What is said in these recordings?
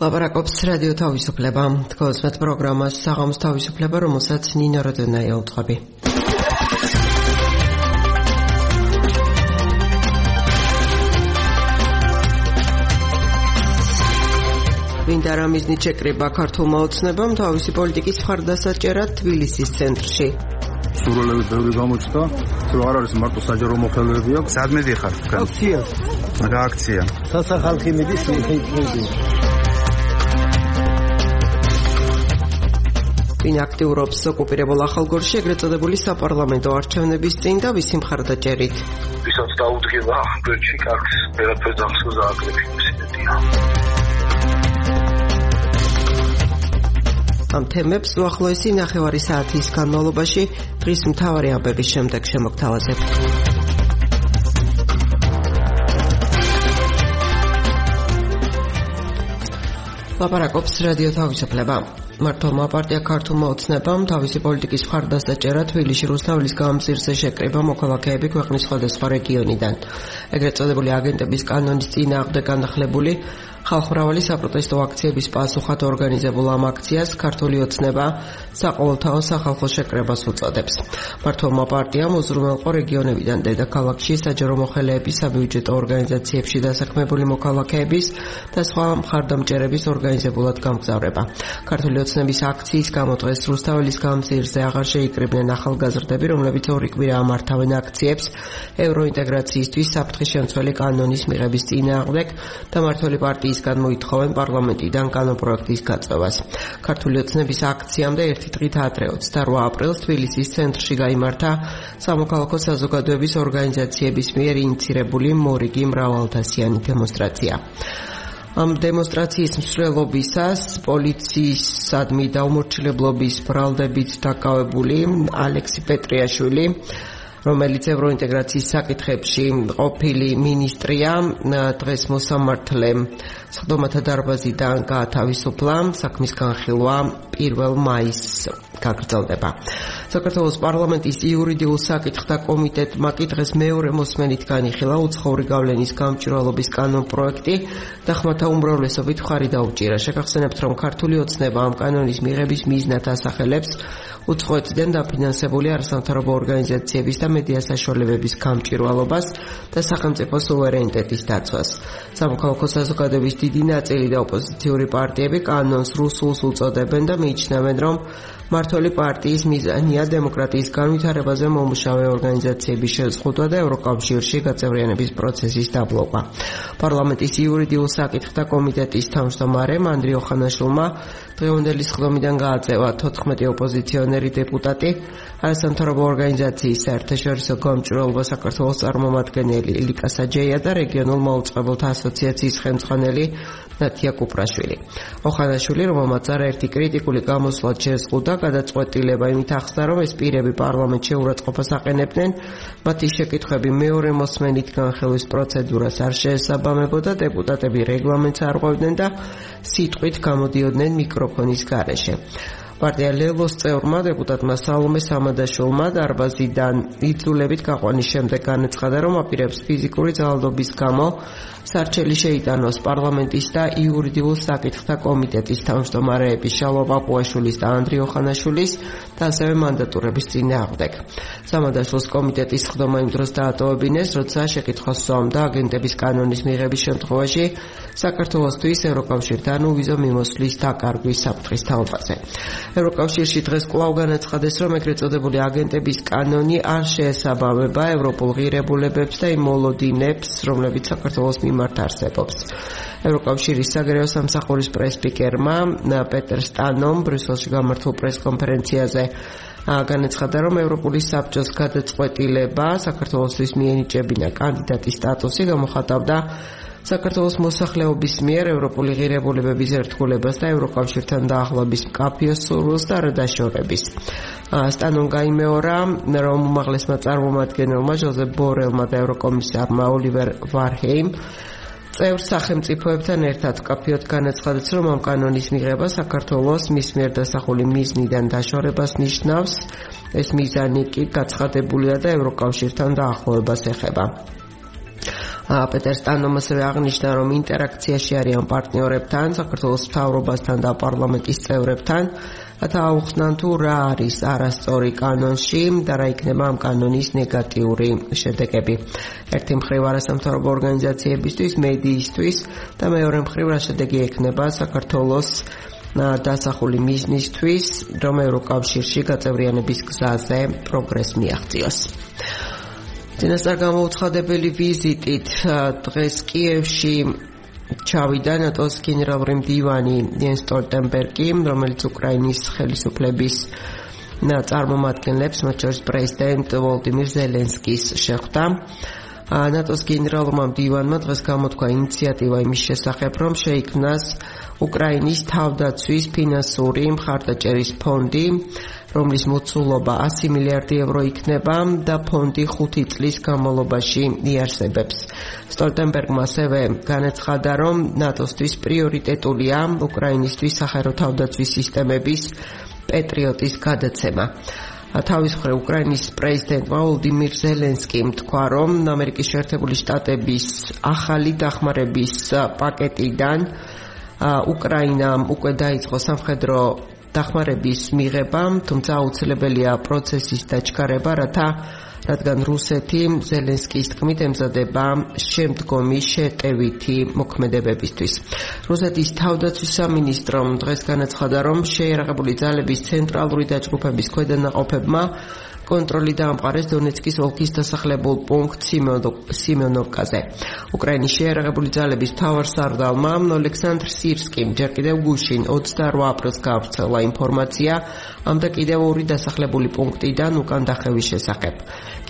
ლაპარაკობს რადიო თავისუფლება. თქვენს პროგრამას საღამოს თავისუფლება, რომელსაც ნინო როდონაია უძღვები. მინდა რა მიზნით შეკრიბა ქართულმა ოცნებამ თავისი პოლიტიკის მხარდასაჭერად თბილისის ცენტრში. სურვილები ბევრი გამოჩნდა, რომ არ არის მარტო საჯარო მოხელეები აქვს. სადმე დიხარ? აქცია. რა აქცია? სასახალხი მიდის ხეიძი. ვინ აქტიურობს ოკუპირებულ ახალგორში, ეგრეთ წოდებული საპარლამენტო არჩევნების წინ და ვისი მხარდაჭერით. ვისაც დაუდგება გვერდში კარგს, ვერაფერს ახსოვს აკრებში მოსინებია. ამ თემებს უახლოესი ნახევარი საათის განმავლობაში დღის მთავარი ამბების შემდეგ შემოგთავაზებ. ლაპარაკობს რადიო თავისუფლება. მართლმა პარტია ქართულმა ოცნებამ თავისი პოლიტიკის მხარდასაჭერად თბილისში რუსთაველის გამზირზე შეკრიბა მოქალაქეები ქვეყნის სხვადასხვა რეგიონიდან. ეგრეთ წოდებული აგენტების კანონის წინააღმდეგ განახლებული ხალხმრავალი საპროტესტო აქციების პასუხად ორგანიზებულ ამ აქციას ქართული ოცნება საყოველთაო სახალხო შეკრებას უწოდებს. მართლმა პარტიამ უზრუნველყო რეგიონებიდან დედაქალაქში საჯარო მოხელეების საბიუჯეტო ორგანიზაციებში დასაქმებული მოქალაქეების და სხვა მხარდამჭერების ორგანიზებულად გამგზავრება. ქართული ოცნების აქციის გამო დღეს რუსთაველის გამზირზე აღარ შეიკრიბნენ ახალგაზრდები, რომლებიც ორი კვირა ამართავენ აქციებს ევროინტეგრაციისთვის საფრთხის შემცველი კანონის მიღების წინააღმდეგ და მმართველი პარტიისგან მოითხოვენ პარლამენტიდან კანონპროექტის გაწევას. ქართული ოცნების აქციამდე ერთი დღით ადრე 28 აპრილს თბილისის ცენტრში გაიმართა სამოქალაქო საზოგადოების ორგანიზაციების მიერ ინიცირებული მორიგი მრავალდასიანი დემონსტრაცია. ამ დემონსტრაციის მსვლელობისას პოლიციისადმი დაუმორჩილებლობის ბრალდებით დაკავებული ალექსი პეტრიაშვილი, რომელიც ევროინტეგრაციის საკითხებში ყოფილი მინისტრია, დღეს მოსამართლე სხდომათა დარბაზიდან გაათავისუფლა. საქმის განხილვა 1 მაისს გაგრძელდება. საქართველოს პარლამენტის იურიდიულ საკითხთა კომიტეტმა კი დღეს მეორე მოსმენით განიხილა უცხოური გავლენის გამჭვირვალობის კანონპროექტი და ხმათა უმრავლესობით მხარი დაუჭირა. შეგახსენებთ, რომ ქართული ოცნება ამ კანონის მიღების მიზნად ასახელებს უცხოეთიდან დაფინანსებული არასამთავრობო ორგანიზაციების და მედია საშუალებების გამჭვირვალობას და სახელმწიფო სუვერენიტეტის დაცვას. სამოქალაქო საზოგადოების დიდი ნაწილი და ოპოზიციური პარტიები კანონს რუსულს უწოდებენ და მიიჩნევენ, რომ მმართველი პარტიის მიზანია დემოკრატიის განვითარებაზე მომუშავე ორგანიზაციების შეზღუდვა და ევროკავშირში გაწევრიანების პროცესის დაბლოკვა. პარლამენტის იურიდიულ საკითხთა კომიტეტის თავმჯდომარემ ანდრიო ხანაშვილმა დღევანდელი სხდომიდან გააწევა 14 ოპოზიციონერი დეპუტატი, არასამთავრობო ორგანიზაციის საერთაშორისო გამჭვირვალობა საქართველოს წარმომადგენელი ილიკა საჯეია და რეგიონულ მაუწყებელთა ასოციაციის ხელმძღვანელი ნათია კუპრაშვილი. ოხანაშვილი, რომელმაც არაერთი კრიტიკული გამოსვლა შეზღუდა, გადაწყვეტილება იმით ახსნა, რომ ეს პირები პარლამენტში უარყოფას აყენებდნენ, მათი შეკითხვები მეორე მოსმენით განხილვის პროცედურას არ შეესაბამებოდა, დეპუტატები რეგლამენტს არღვევდნენ და სიტყვით გამოდიოდნენ მიკროფონის გარეშე. პარტია ლელოს წევრმა დეპუტატმა სალომე სამადაშვილმა დარბაზიდან იძულებით გაყვანის შემდეგ განაცხადა, რომ აპირებს ფიზიკური ძალადობის გამო სარჩელი შეიტანოს პარლამენტის და იურიდიულ საკითხთა კომიტეტის თავმჯდომარეების შალვა პაპუაშვილის და ანდრიო ხანაშვილის და ასევე მანდატურების წინააღმდეგ. სამადაშვილს კომიტეტის სხდომა იმ დროს დაატოვებინეს, როცა შეკითხვა სვამდა აგენტების კანონის მიღების შემთხვევაში საქართველოსთვის ევროკავშირთან უვიზო მიმოსვლის დაკარგვის საფრთხის თაობაზე. ევროკავშირში დღეს კვლავ განაცხადეს, რომ ეგრეთ წოდებული აგენტების კანონი არ შეესაბამება ევროპულ ღირებულებებს და იმ მოლოდინებს, რომლებიც საქართველოს მიმართ არსებობს. ევროკავშირის საგარეო სამსახურის პრესპიკერმა პეტერ სტანომ ბრიუსელში გამართულ პრესკონფერენციაზე განაცხადა, რომ ევროპული საბჭოს გადაწყვეტილება საქართველოსთვის მიენიჭებინა კანდიდატის სტატუსი გამოხატავდა საქართველოს მოსახლეობის მიერ ევროპული ღირებულებების ერთგულებას და ევროკავშირთან დაახლოების მკაფიო სურვილს და არ დაშორების. სტანომ გაიმეორა, რომ უმაღლესმა წარმომადგენელმა ჟოზეფ ბორელმა და ევროკომისარმა ოლივერ ვარჰეიმ წევრ სახელმწიფოებთან ერთად მკაფიოდ განაცხადეს, რომ ამ კანონის მიღება საქართველოს მის მიერ დასახული მიზნიდან დაშორებას ნიშნავს. ეს მიზანი კი გაცხადებულია და ევროკავშირთან დაახლოებას ეხება. პეტერ სტანომ ასევე აღნიშნა, რომ ინტერაქციაში არიან პარტნიორებთან, საქართველოს მთავრობასთან და პარლამენტის წევრებთან, რათა აუხსნან თუ რა არის არასწორი კანონში და რა იქნება ამ კანონის ნეგატიური შედეგები. ერთი მხრივ არასამთავრობო ორგანიზაციებისთვის, მედიისთვის და მეორე მხრივ რა შედეგი ექნება საქართველოს დასახული მიზნისთვის, რომ ევროკავშირში გაწევრიანების გზაზე პროგრესს მიაღწიოს. წინასწარ გამოუცხადებელი ვიზიტით დღეს კიევში ჩავიდა ნატოს გენერალური მდივანი იენს სტოლტენბერგი, რომელიც უკრაინის ხელისუფლების წარმომადგენლებს, მათ შორის პრეზიდენტ ვოლოდიმირ ზელენსკის შეხვდა. ნატოს გენერალურმა მდივანმა დღეს გამოთქვა ინიციატივა იმის შესახებ, რომ შეიქმნას უკრაინის თავდაცვის ფინანსური მხარდაჭერის ფონდი, რომლის მოცულობა 100 მილიარდი ევრო იქნება და ფონდი 5 წლის განმავლობაში იარსებებს. სტოლტენბერგმა ასევე განაცხადა, რომ ნატოსთვის პრიორიტეტულია უკრაინისთვის სახელმწიფო თავდაცვის სისტემების პეტრიოტის გადაცემა. თავის მხრივ უკრაინის პრეზიდენტმა ვოლოდიმირ ზელენსკიმ თქვა, რომ ამერიკის შეერთებული შტატების ახალი დახმარების პაკეტიდან უკრაინამ უკვე დაიწყო სამხედრო დახმარების მიღება, თუმცა აუცილებელია პროცესის დაჩქარება, რადგან რუსეთი ზელენსკის თქმით ემზადება შემდგომი შეტევითი მოქმედებებისთვის. რუსეთის თავდაცვის სამინისტრომ დღეს განაცხადა, რომ შეიარაღებული ძალების ცენტრალური დაჯგუფების ქვედანაყოფებმა კონტროლი დაამყარეს დონეცკის ოლქის დასახლებულ პუნქტ სიმეონოვკაზე. უკრაინის შეიარაღებული ძალების მთავარსარდალმა ოლექსანდრ სირსკიმ ჯერ კიდევ გუშინ 28 აპრილს გაავრცელა ინფორმაცია ამ და კიდევ 2 დასახლებული პუნქტიდან უკან დახევის შესახებ.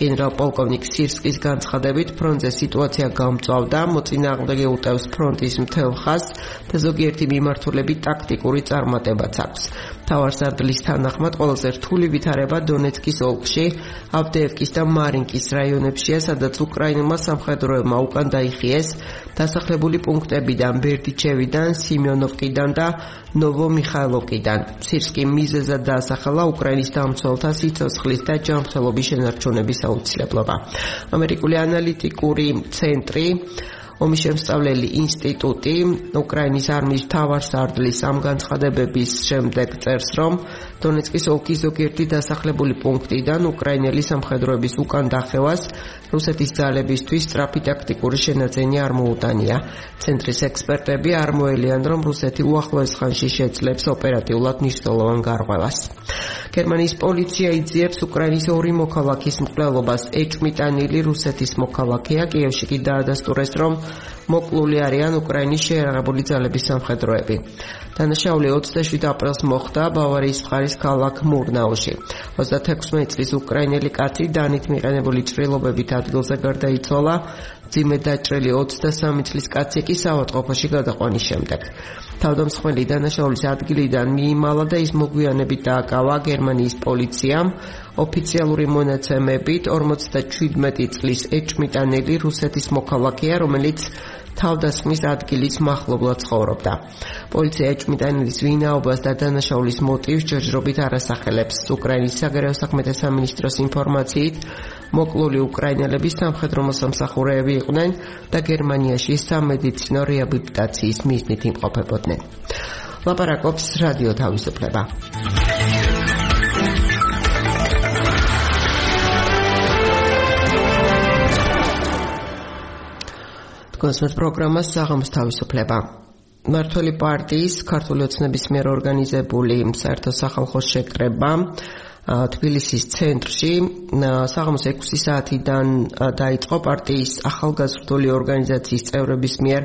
გენერალ-პოლკოვნიკ სირსკის განცხადებით, ფრონტზე სიტუაცია გამწვავდა, მოწინააღმდეგე უტევს ფრონტის მთელ ხაზს და ზოგიერთი მიმართულებით ტაქტიკური წარმატებაც აქვს. მთავარსარდლის თანახმად ყველაზე რთული ვითარება დონეცკის ოლქში, ავდეევკის და მარინკის რაიონებშია, სადაც უკრაინულმა სამხედროებმა უკან დაიხიეს დასახლებული პუნქტებიდან, ბერდიჩევიდან, სიმეონოვკიდან და ნოვო-მიხაილოვკიდან. სირსკიმ მიზეზად დაასახელა უკრაინის დამცველთა სიცოცხლის და ჯანმრთელობის შენარჩუნების აუცილებლობა. ამერიკული ანალიტიკური ცენტრი, ომის შემსწავლელი ინსტიტუტი უკრაინის არმიის მთავარსარდლის ამ განცხადებების შემდეგ წერს, რომ დონეცკის ოლქის ზოგიერთი დასახლებული პუნქტიდან უკრაინელი სამხედროების უკან დახევას რუსეთის ძალებისთვის სწრაფი ტაქტიკური შენაძენი არ მოუტანია. ცენტრის ექსპერტები არ მოელიან, რომ რუსეთი უახლოეს ხანში შეძლებს ოპერატიულად მნიშვნელოვან გარღვევას. გერმანიის პოლიცია იძიებს უკრაინის 2 მოქალაქის მკვლელობას. ეჭვმიტანილი რუსეთის მოქალაქეა, კიევში კი დაადასტურეს, რომ მოკლული არიან უკრაინის შეიარაღებული ძალების სამხედროები. დანაშაული 27 აპრილს მოხდა ბავარიის მხარის ქალაქ მურნაუში. 36 წლის უკრაინელი კაცი დანით მიყენებული ჭრილობებით ადგილზე გარდაიცვალა, მძიმედ დაჭრილი 23 წლის კაცი კი საავადმყოფოში გადაყვანის შემდეგ. თავდამსხმელი დანაშაულის ადგილიდან მიიმალა და ის მოგვიანებით დააკავა გერმანიის პოლიციამ. ოფიციალური მონაცემებით 57 წლის ეჭვმიტანელი რუსეთის მოქალაქეა, რომელიც თავდასხმის ადგილის მახლობლად ცხოვრობდა. პოლიცია ეჭვმიტანელის ვინაობას და დანაშაულის მოტივს ჯერჯერობით არ ასახელებს. უკრაინის საგარეო საქმეთა სამინისტროს ინფორმაციით, მოკლული უკრაინელების სამხედრო მოსამსახურეები იყვნენ და გერმანიაში სამედიცინო რეაბილიტაციის მიზნით იმყოფებოდნენ. ლაპარაკობს რადიო თავისუფლება. კონსერტ პროგრამას საღამოს თავისუფლება. მართველი პარტიის ქართული ოცნების მიერ ორგანიზებული საერთო სახალხო შეკრება თბილისის ცენტრში საღამოს 6 საათიდან დაიწყო პარტიის ახალგაზრდული ორგანიზაციის წევრების მიერ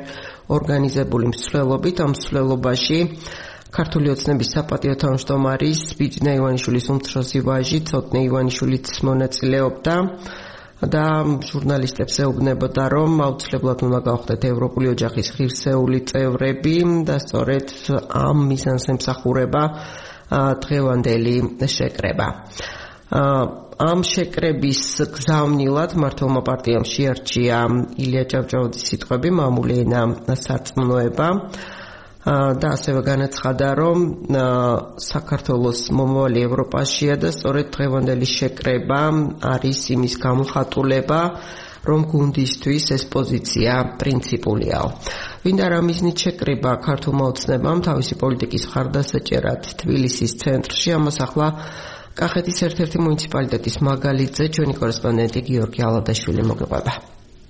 ორგანიზებული მსვლელობით. ამ მსვლელობაში ქართული ოცნების საპატიო თავმჯდომარის ბიჯინა ივანიშვილის უმცროსი ვაჟი ცოტნე ივანიშვილიც მონაწილეობდა და ჟურნალისტებს ეუბნებოდა, რომ აუცილებლად უნდა გავხდეთ ევროპული ოჯახის ღირსეული წევრები და სწორედ ამ მიზანს ემსახურება დღევანდელი შეკრება. ამ შეკრების გზავნილად მართლმა პარტიამ შეარჩია ილია ჭავჭავაძის სიტყვები „მამული ენა სარწმუნოება“ და ასევე განაცხადა, რომ საქართველოს მომავალი ევროპაშია და სწორედ დღევანდელი შეკრება არის იმის გამოხატულება, რომ გუნდისთვის ეს პოზიცია პრინციპულიაო. ვინდა რა მიზნით შეკრიბა ქართულმა ოცნებამ თავისი პოლიტიკის მხარდასაჭერად თბილისის ცენტრში, ამას ახლა კახეთის ერთ-ერთი მუნიციპალიტეტის მაგალითზე ჩვენი კორესპონდენტი გიორგი ალადაშვილი მოგიყვება.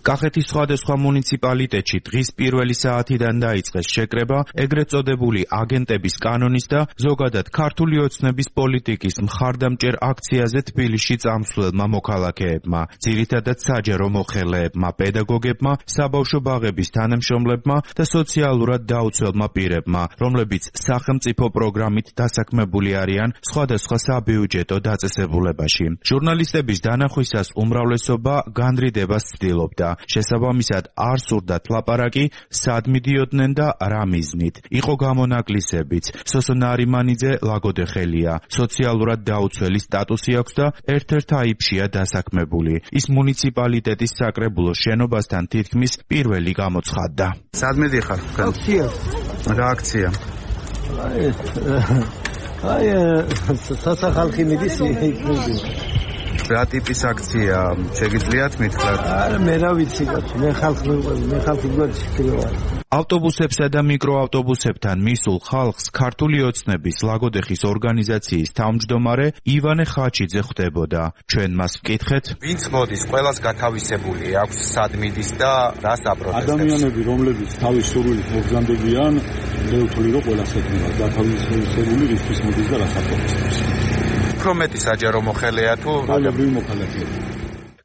კახეთის სხვადასხვა მუნიციპალიტეტში დღის პირველი საათიდან დაიწყეს შეკრება ეგრეთ წოდებული აგენტების კანონის და ზოგადად ქართული ოცნების პოლიტიკის მხარდამჭერ აქციაზე თბილისში წამსვლელმა მოქალაქეებმა, ძირითადად საჯარო მოხელეებმა, პედაგოგებმა, საბავშვო ბაღების თანამშრომლებმა და სოციალურად დაუცველმა პირებმა, რომლებიც სახელმწიფო პროგრამით დასაქმებული არიან სხვადასხვა საბიუჯეტო დაწესებულებაში. ჟურნალისტების დანახვისას უმრავლესობა განრიდებას ცდილობდა. შესაბამისად არ სურდათ ლაპარაკი, სად მიდიოდნენ და რა მიზნით. იყო გამონაკლისებიც. სოსო ნარიმანიძე ლაგოდეხელია. სოციალურად დაუცველი სტატუსი აქვს და ერთ-ერთ აიფშია დასაქმებული. ის მუნიციპალიტეტის საკრებულოს შენობასთან თითქმის პირველი გამოცხადდა. სად მიდიხარ? რა აქცია? სასახალხი მიდის იქნება. რა ტიპის აქცია შეგიძლიათ მითხრათ? არა, მე რა ვიცი, მე ხალხი გვაჩქრია. ავტობუსებსა და მიკროავტობუსებთან მისულ ხალხს ქართული ოცნების ლაგოდეხის ორგანიზაციის თავმჯდომარე ივანე ხაჩიძე ხვდებოდა. ჩვენ მას ვკითხეთ, ვინც მოდის, ყველას გათავისებული აქვს სად მიდის და რას აპროტესტებს. ადამიანები, რომლებიც თავის სურვილით მოგზანდებიან, მე ვთვლი, რომ ყველას ეკნება გათავისებული რისთვის მოდის და რას აპროტესტებს. უფრო მეტი საჯარო მოხელეა თუ ადგილობრივი მოხელეა.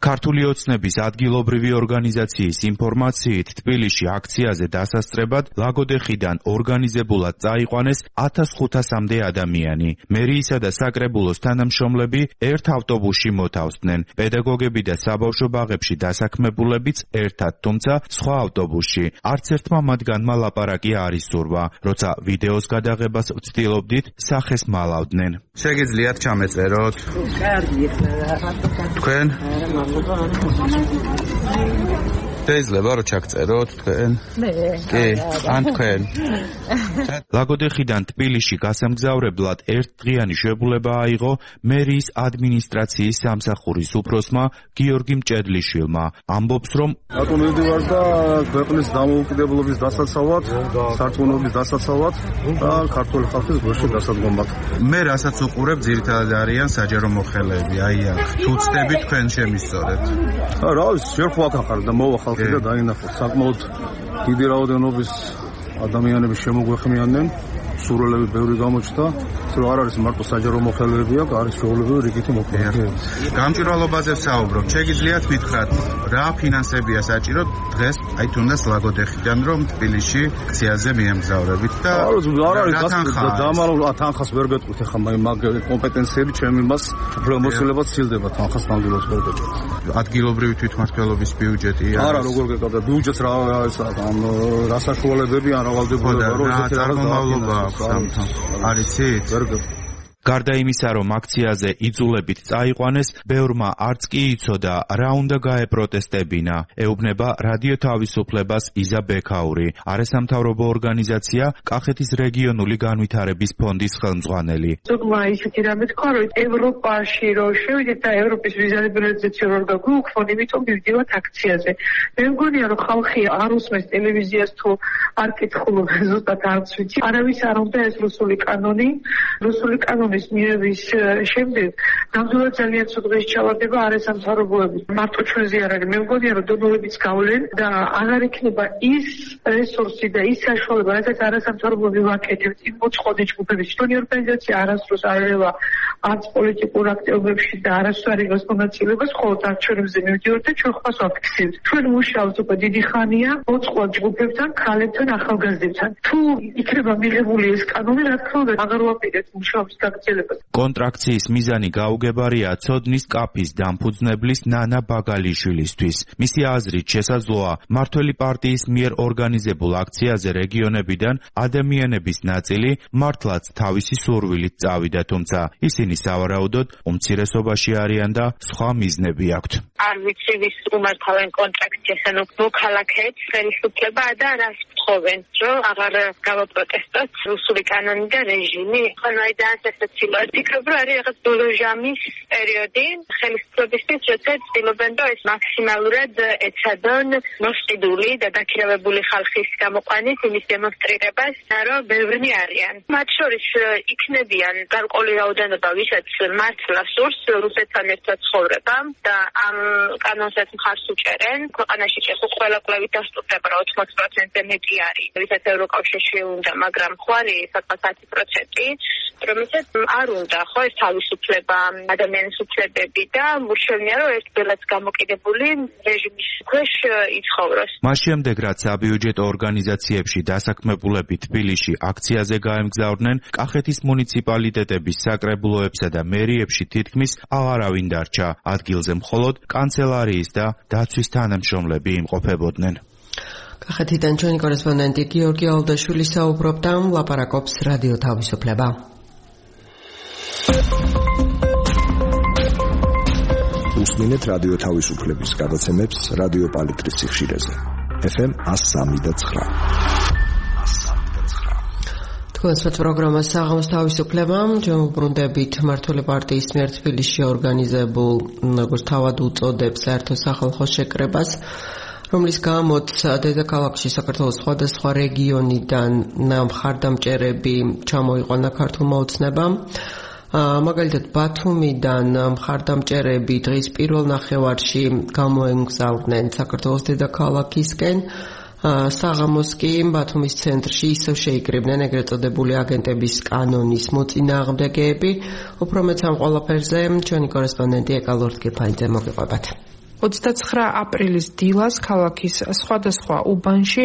ქართული ოცნების ადგილობრივი ორგანიზაციის ინფორმაციით თბილისში აქციაზე დასასწრებად ლაგოდეხიდან ორგანიზებულად წაიყვანეს 1500-მდე ადამიანი. მერიისა და საკრებულოს თანამშრომლები ერთ ავტობუსში მოთავსდნენ. პედაგოგები და საბავშვო ბაღებში დასაქმებულებიც ერთად, თუმცა სხვა ავტობუსში. არც ერთმა მათგანმა ლაპარაკი არ ისურვა. როცა ვიდეოს გადაღებას ვცდილობდით, სახეს მალავდნენ. შეგიძლიათ ჩამეწეროთ? კარგი. თქვენ? შეიძლება რომ ჩაგწეროთ თქვენ? მე. კი, ან თქვენ. ლაგოდეხიდან თბილისში გასამგზავრებლად ერთდღიანი შეებულება აიღო მერიის ადმინისტრაციის სამსახურის უფროსმა გიორგი მჭედლიშვილმა. ამბობს, რომ აკონდივარ და ქვეყნის დამოუკიდებლობის დასაცავად, სარწმუნოების დასაცავად და ქართული ხალხის გულში დასადგომად. მე რასაც უყურებ, ძირითადად არიან საჯარო მოხელეები, აი აქ. თუ ცდები თქვენ შემისწორეთ. რა ვიცი, შერხვა ახარ და მოვა ხალხი და დაინახოთ. საკმაოდ დიდი რაოდენობის ადამიანები შემოგვეხმიანნენ, სურვილები ბევრი გამოჩნდა, რომ არ არის მარტო საჯარო მოხელეები აქვს, არის ჩვეულებრივი რიგითი მოხელეები. გამჭვირვალობაზე ვსაუბრობ. შეგიძლიათ მითხრათ, რა ფინანსებია საჭირო დღეს, აი თუნდაც ლაგოდეხიდან, რომ თბილისში აქციაზე მიემგზავრებით და არ არის დამალულ თანხას ვერ გეტყვით, ახლა მაგ კომპეტენციები ჩემი მას პრომოცილებას ცილდება, თანხას ნამდვილად ვერ გეტყვით. ადგილობრივი თვითმმართველობის ბიუჯეტია. არა, როგორ გეკავდა ბიუჯეტს რა რა საშუალებები ან რა ვალდებულება რომ ესეთი რაღაც არიცით? გარდა იმისა, რომ აქციაზე იძულებით წაიყვანეს, ბევრმა არც კი იცოდა, რა უნდა გაეპროტესტებინა, ეუბნება რადიო თავისუფლებას იზა ბექაური, არასამთავრობო ორგანიზაცია კახეთის რეგიონული განვითარების ფონდის ხელმძღვანელი. ზოგმა ისეთი რამე თქვა, რომ ევროპაში რომ შევიდეთ და ევროპის ვიზალიბერალიზაცია რომ გაგვიუქმონ, იმიტომ მივდივართ აქციაზე. მე მგონია, რომ ხალხი არ უსმენს ტელევიზიას თუ არ კითხულობს, ზუსტად არც ვიცი. არავის არ უნდა ეს რუსული კანონი, რუსული კანონი მიერების შემდეგ ნამდვილად ძალიან ცუდღეს ჩავარდება არასამთავრობოების. მარტო ჩვენზე არ არის. მე მგონია, რომ დონორებიც გავლენ და აღარ იქნება ის რესურსი და ის საშუალება, რასაც არასამთავრობოები ვაკეთებთ იმ მოწყობილ ჯგუფებში. ჩვენი ორგანიზაცია არასდროს არ ევა არც პოლიტიკურ აქტივობებში და არასდროს არ იღებს მონაწილეობას, ხოლო არჩევნებზე მივდივართ და ჩვენ ხმას ვაფიქსირებთ. ჩვენ მუშაობთ უკვე დიდი ხანია მოწყობილ ჯგუფებთან, ქალებთან, ახალგაზრდებთან. თუ იქნება მიღებული ეს კანონი, რა თქმა უნდა, აღარ ვაპირებთ მუშაობის კონტრაქციის მიზანი გაუგებარია ცოდნის კაფის დამფუძნებლის ნანა ბაგალიშვილისთვის. მისი აზრით შესაძლოა მმართველი პარტიის მიერ ორგანიზებულ აქციაზე რეგიონებიდან ადამიანების ნაწილი მართლაც თავისი სურვილით წავიდა, თუმცა ისინი სავარაუდოდ უმცირესობაში არიან და სხვა მიზნები აქვთ. არ ვიცი ვის უმართავენ კონტრაქტს, ანუ მოქალაქეებს ხელისუფლება და რას თხოვენ, რომ აღარ გავაპროტესტოთ რუსული კანონი და რეჟიმი. ხანაიდან ესეცილა. ფიქრობ, რომ არის რაღაც ბოლო ჟამის პერიოდი ხელისუფლებისთვის, როცა ცდილობენ, რომ ეს მაქსიმალურად ეცადონ მოსყიდული და დაქირავებული ხალხის გამოყვანით იმის დემონსტრირებას, რომ ბევრი არიან. მათ შორის იქნებიან გარკვეული რაოდენობა, ვისაც მართლა სურს რუსეთთან ერთად ცხოვრება და ამ კანონსაც მხარს უჭერენ. ქვეყანაში ყველა კვლევით დასტურდება, რომ 80%-ზე მეტი არის, ვისაც ევროკავშირში უნდა, მაგრამ ხო არის საკმაოდ 10%, რომელსაც არ უნდა ხო ეს თავისუფლება, ადამიანის უფლებები და მურჩევნია, რომ ეს ბელაც გამოკიდებული რეჟიმის ქვეშ იცხოვროს. მას შემდეგ, რაც საბიუჯეტო ორგანიზაციებში დასაქმებულები თბილისში აქციაზე გაემგზავრნენ, კახეთის მუნიციპალიტეტების საკრებულოებსა და მერიებში თითქმის აღარავინ დარჩა. ადგილზე მხოლოდ კანცელარიის და დაცვის თანამშრომლები იმყოფებოდნენ. კახეთიდან ჩვენი კორესპონდენტი გიორგი ალდაშვილი საუბრობდა, ლაპარაკობს რადიო თავისუფლება. უსმინეთ რადიო თავისუფლების გადაცემებს რადიო პალიტრის სიხშირეზე. FM 103.9. თქვენს პროგრამას საღამოს თავისუფლება, ჩვენ ვუბრუნდებით მმართველი პარტიის მიერ თბილისში ორგანიზებულ, როგორც თავად უწოდებს, საერთო სახალხო შეკრებას, რომლის გამოც დედაქალაქში საქართველოს სხვადასხვა რეგიონიდან მხარდამჭერები ჩამოიყვანა ქართულმა ოცნებამ. მაგალითად ბათუმიდან მხარდამჭერები დღის პირველ ნახევარში გამოემგზავრნენ საქართველოს დედაქალაქისკენ. საღამოს კი ბათუმის ცენტრში ისევ შეიკრიბნენ ეგრეთ წოდებული აგენტების კანონის მოწინააღმდეგეები. უფრო მეც ამ ყველაფერზე ჩვენი კორესპონდენტი ეკალორთგიფაიძე მოგიყვებათ. 29 აპრილის დილას ქალაქის სხვადასხვა უბანში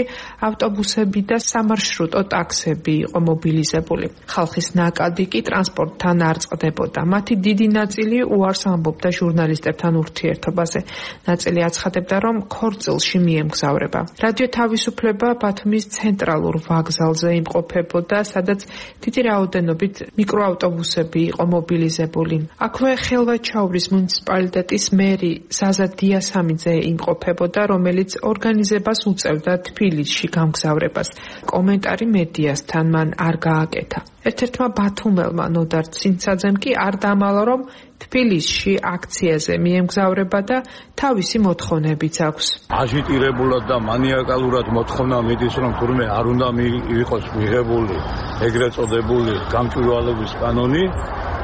ავტობუსები და სამარშრუტო ტაქსები იყო მობილიზებული. ხალხის ნაკადი კი ტრანსპორტთან არ წყდებოდა. მათი დიდი ნაწილი უარს ამბობდა ჟურნალისტებთან ურთიერთობაზე. ნაწილი აცხადებდა, რომ ქორწილში მიემგზავრება. რადიო თავისუფლება ბათუმის ცენტრალურ ვокზალზე იმყოფებოდა, სადაც დიდი რაოდენობით მიკროავტობუსები იყო მობილიზებული. აქვე ხელვაჩაურის მუნიციპალიტეტის მერი ზაზა დიასამიძე იმყოფებოდა, რომელიც ორგანიზებას უწევდა თბილისში გამგზავრებას. კომენტარი მედიასთან მან არ გააკეთა. ერთ-ერთმა ბათუმელმა ნოდარ ცინცაძემ კი არ დამალა, რომ თბილისში აქციაზე მიემგზავრება და თავისი მოთხოვნებიც აქვს. აჟიტირებულად და მანიაკალურად მოთხოვნა მიდის, რომ თურმე არ უნდა იყოს მიღებული ეგრეთ წოდებული გამჭვირვალობის კანონი.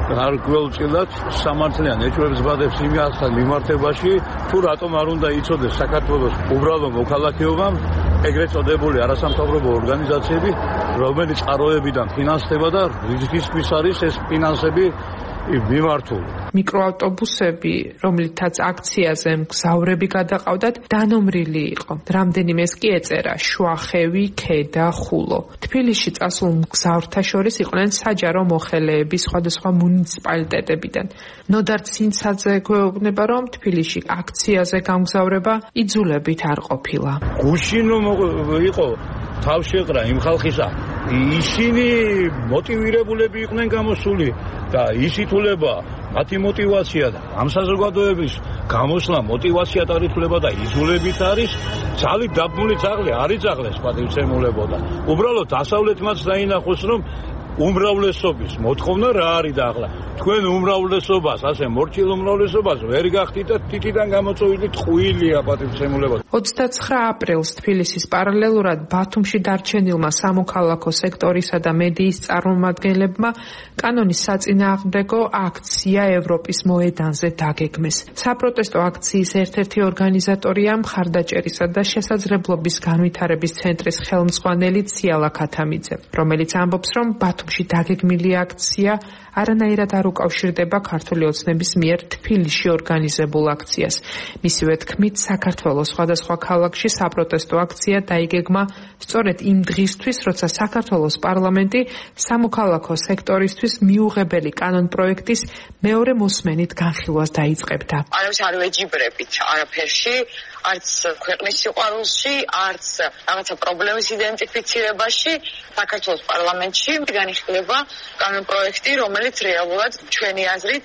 არ გველწილად სამართლიან ეჭვებს ბადებს იმასთან მიმართებაში, თუ რატომ არ უნდა იცოდეს საქართველოს უბრალო მოქალაქეობამ ეგრეთ წოდებული არასამთავრობო ორგანიზაციები, რომელიც წყაროებიდან ფინანსდება და რისკისთვის არის ეს ფინანსები მიმართული. მიკროავტობუსები, რომლითაც აქციაზე მგზავრები გადაყავდათ, დანომრილი იყო. რამდენიმეს კი ეწერა შუახევი, ქედა, ხულო. თბილისში წასულ მგზავრთა შორის იყვნენ საჯარო მოხელეები სხვადასხვა მუნიციპალიტეტებიდან. ნოდარ ცინცაძე გვეუბნება, რომ თბილისში აქციაზე გამგზავრება იძულებით არ ყოფილა. გუშინო იყო თავშეყრა იმ ხალხისა, ისინი მოტივირებულები იყვნენ გამოსული და ისითულება მათი მოტივაცია და ამ საზოგადოების გამოსვლა მოტივაცია დაითვლება და იძულებით არის. ძალით დაბმული ძაღლი არ იძაღლეს პატივცემულებოდა. უბრალოდ დასავლეთმაც დაინახოს, რომ უმრავლესობის მოთხოვნა რა არის და ახლა თქვენ უმრავლესობას, ასე მორჩილ უმრავლესობას ვერ გახდით და თითიდან გამოწვეული ტყუილია პატივცემულებოდა. 29 აპრილს თბილისის პარალელურად ბათუმში დარჩენილმა სამოქალაქო სექტორისა და მედიის წარმომადგენლებმა კანონის საწინააღმდეგო აქცია ევროპის მოედანზე დაგეგმეს. საპროტესტო აქციის ერთ-ერთი ორგანიზატორია მხარდაჭერისა და შესაძლებლობის განვითარების ცენტრის ხელმძღვანელი ციალა ქათამიძე, რომელიც ამბობს, რომ ბათუმში დაგეგმილი აქცია არანაირად არ უკავშირდება ქართული ოცნების მიერ თბილისში ორგანიზებულ აქციას. მისივე თქმით, საქართველოს სხვადასხვა ქალაქში საპროტესტო აქცია დაიგეგმა სწორედ იმ დღისთვის, როცა საქართველოს პარლამენტი სამოქალაქო სექტორისთვის მიუღებელი კანონპროექტის მეორე მოსმენით განხილვას დაიწყებდა. არავის არ ვეჯიბრებით არაფერში, არც ქვეყნის სიყვარულში, არც რაღაცა პრობლემის იდენტიფიცირებაში. საქართველოს პარლამენტში მდგარი აღინიშნება კანონპროექტი, რომელიც რეალურად ჩვენი აზრით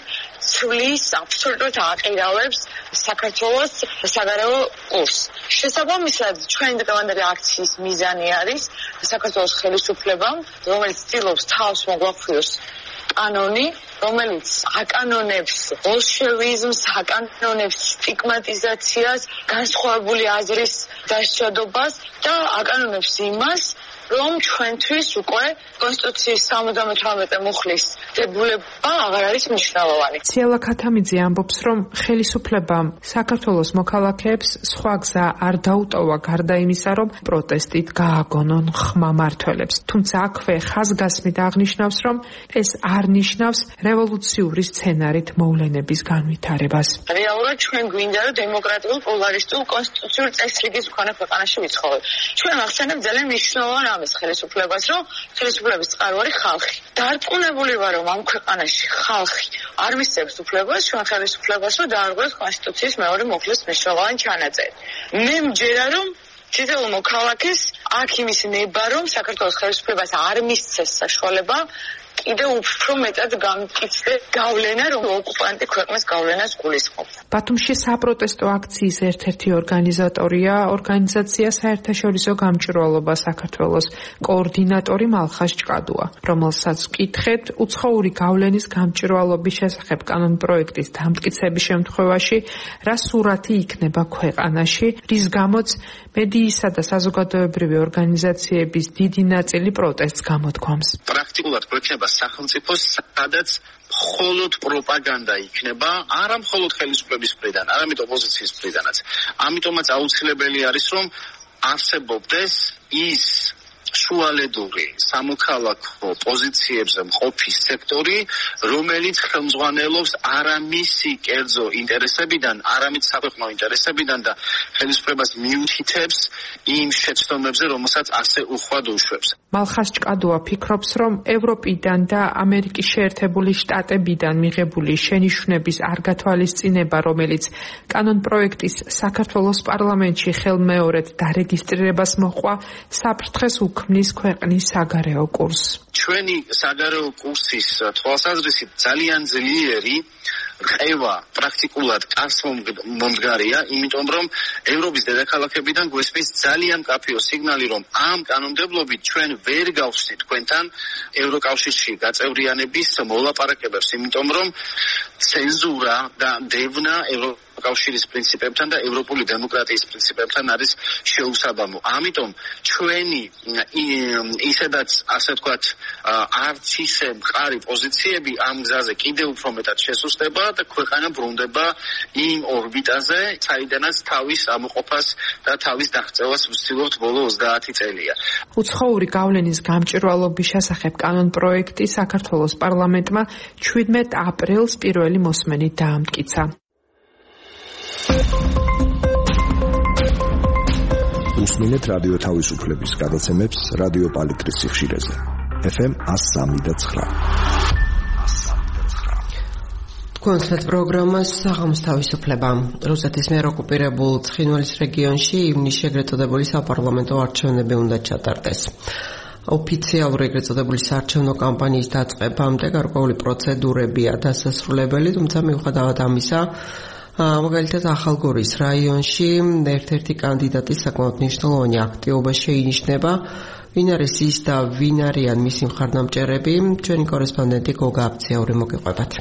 ცვლის აბსოლუტურად აყირავებს საქართველოს საგარეო კურსს. შესაბამისად, ჩვენი დღევანდელი აქციის მიზანი არის საქართველოს ხელისუფლებამ, რომელიც ცდილობს თავს მოგვაქვიოს კანონი, რომელიც აკანონებს ბოლშევიზმს, აკანონებს სტიგმატიზაციას, განსხვავებული აზრის დასჯადობას და აკანონებს იმას, რომ ჩვენთვის უკვე კონსტიტუციის 78 მუხლის დებულება აღარ არის მნიშვნელოვანი. ციალა ქათამიძე ამბობს, რომ ხელისუფლებამ საქართველოს მოქალაქეებს სხვა გზა არ დაუტოვა გარდა იმისა, რომ პროტესტით გააგონონ ხმა მმართველებს. თუმცა აქვე ხაზგასმით აღნიშნავს, რომ ეს არ ნიშნავს რევოლუციური სცენარით მოვლენების განვითარებას. რეალურად ჩვენ გვინდა, რომ დემოკრატიულ, პოლარისტულ, კონსტიტუციურ წესრიგის მქონე ქვეყანაში ვიცხოვროთ. ჩვენ ახსენებთ ძალიან მნიშვნელოვან ამის ხელისუფლებას, რომ ხელისუფლების წყაროა ხალხი. დარწმუნებული ვარ, რომ ამ ქვეყანაში ხალხი არ მისცემს უფლებას ჩვენ ხელისუფლებას, რომ დაარღვევს კონსტიტუციის მეორე მუხლის მნიშვნელოვანი ჩანაწერი. მე მჯერა, რომ თითოეულ მოქალაქეს აქ იმის ნება, რომ საქართველოს ხელისუფლებას არ მისცეს საშუალება კიდევ უფრო მეტად გამკიცდა გავლენა, რომ ოკუპანტი ქვეყნის გავლენას გულისხმობს. ბათუმში საპროტესტო აქციის ერთ-ერთი ორგანიზატორია ორგანიზაცია საერთაშორისო გამჭვირვალობა საქართველოს კოორდინატორი მალხაზ ჭკადუა, რომელსაც ვკითხეთ უცხოური გავლენის გამჭვირვალობის შესახებ კანონპროექტის დამტკიცების შემთხვევაში რა სურათი იქნება ქვეყანაში, რის გამოც მედიისა და საზოგადოებრივი ორგანიზაციების დიდი ნაწილი პროტესტს გამოთქვამს. პრაქტიკულად გვექნება სახელმწიფოს, სადაც მხოლოდ პროპაგანდა იქნება, არა მხოლოდ ხელისუფლების მხრიდან, არამედ ოპოზიციის მხრიდანაც. ამიტომაც აუცილებელი არის, რომ არსებობდეს ის შუალედური სამოქალაქო პოზიციებზე მყოფი სექტორი, რომელიც ხელმძღვანელობს არა მისი კერძო ინტერესებიდან, არამედ საქვეყნო ინტერესებიდან და ხელისუფლებას მიუთითებს იმ შეცდომებზე, რომელსაც ასე უხვად უშვებს. მალხაზ ჭკადუა ფიქრობს, რომ ევროპიდან და ამერიკის შეერთებული შტატებიდან მიღებული შენიშვნების არ გათვალისწინება, რომელიც კანონპროექტის საქართველოს პარლამენტში ხელმეორედ დარეგისტრირებას მოჰყვა, საფრთხეს უქმნის ქვეყნის საგარეო კურსს. ჩვენი საგარეო კურსის თვალსაზრისით ძალიან ძლიერი რყევა პრაქტიკულად კარსმომდგარია, იმიტომ რომ ევროპის დედაქალაქებიდან გვესმის ძალიან მკაფიო სიგნალი, რომ ამ კანონმდებლობით ჩვენ ვერ გავხსნით თქვენთან ევროკავშირში გაწევრიანების მოლაპარაკებებს, იმიტომ რომ ცენზურა და დევნა კავშირის პრინციპებთან და ევროპული დემოკრატიის პრინციპებთან არის შეუსაბამო. ამიტომ ჩვენი ისედაც ასე ვთქვათ არც ისე მყარი პოზიციები ამ გზაზე კიდევ უფრო მეტად შესუსტება და ქვეყანა ბრუნდება იმ ორბიტაზე, საიდანაც თავის ამოყოფას და თავის დაღწევას ვცდილობთ ბოლო 30 წელია. უცხოური გავლენის გამჭვირვალობის შესახებ კანონპროექტი საქართველოს პარლამენტმა 17 აპრილს პირველი მოსმენით დაამტკიცა. უსმინეთ რადიო თავისუფლების გადაცემებს რადიო პალიტრის სიხშირეზე. FM 103.9. კონცერტ პროგრამას საღამოს თავისუფლება. რუსეთის მიერ ოკუპირებულ ცხინვალის რეგიონში ივნისში ეგრეთ წოდებული საპარლამენტო არჩევნები უნდა ჩატარდეს. ოფიციალური ეგრეთ წოდებული საარჩევნო კამპანიის დაწყებამდე გარკვეული პროცედურებია დასასრულებელი, თუმცა მიუხედავად ამისა, მაგალითად ახალგორის რაიონში ერთ-ერთი კანდიდატის საკმაოდ მნიშვნელოვანი აქტივობა შეინიშნება. ვინ არის ის და ვინ არიან მისი მხარდამჭერები? ჩვენი კორესპონდენტი გოგა აფციაური მოგიყვებათ.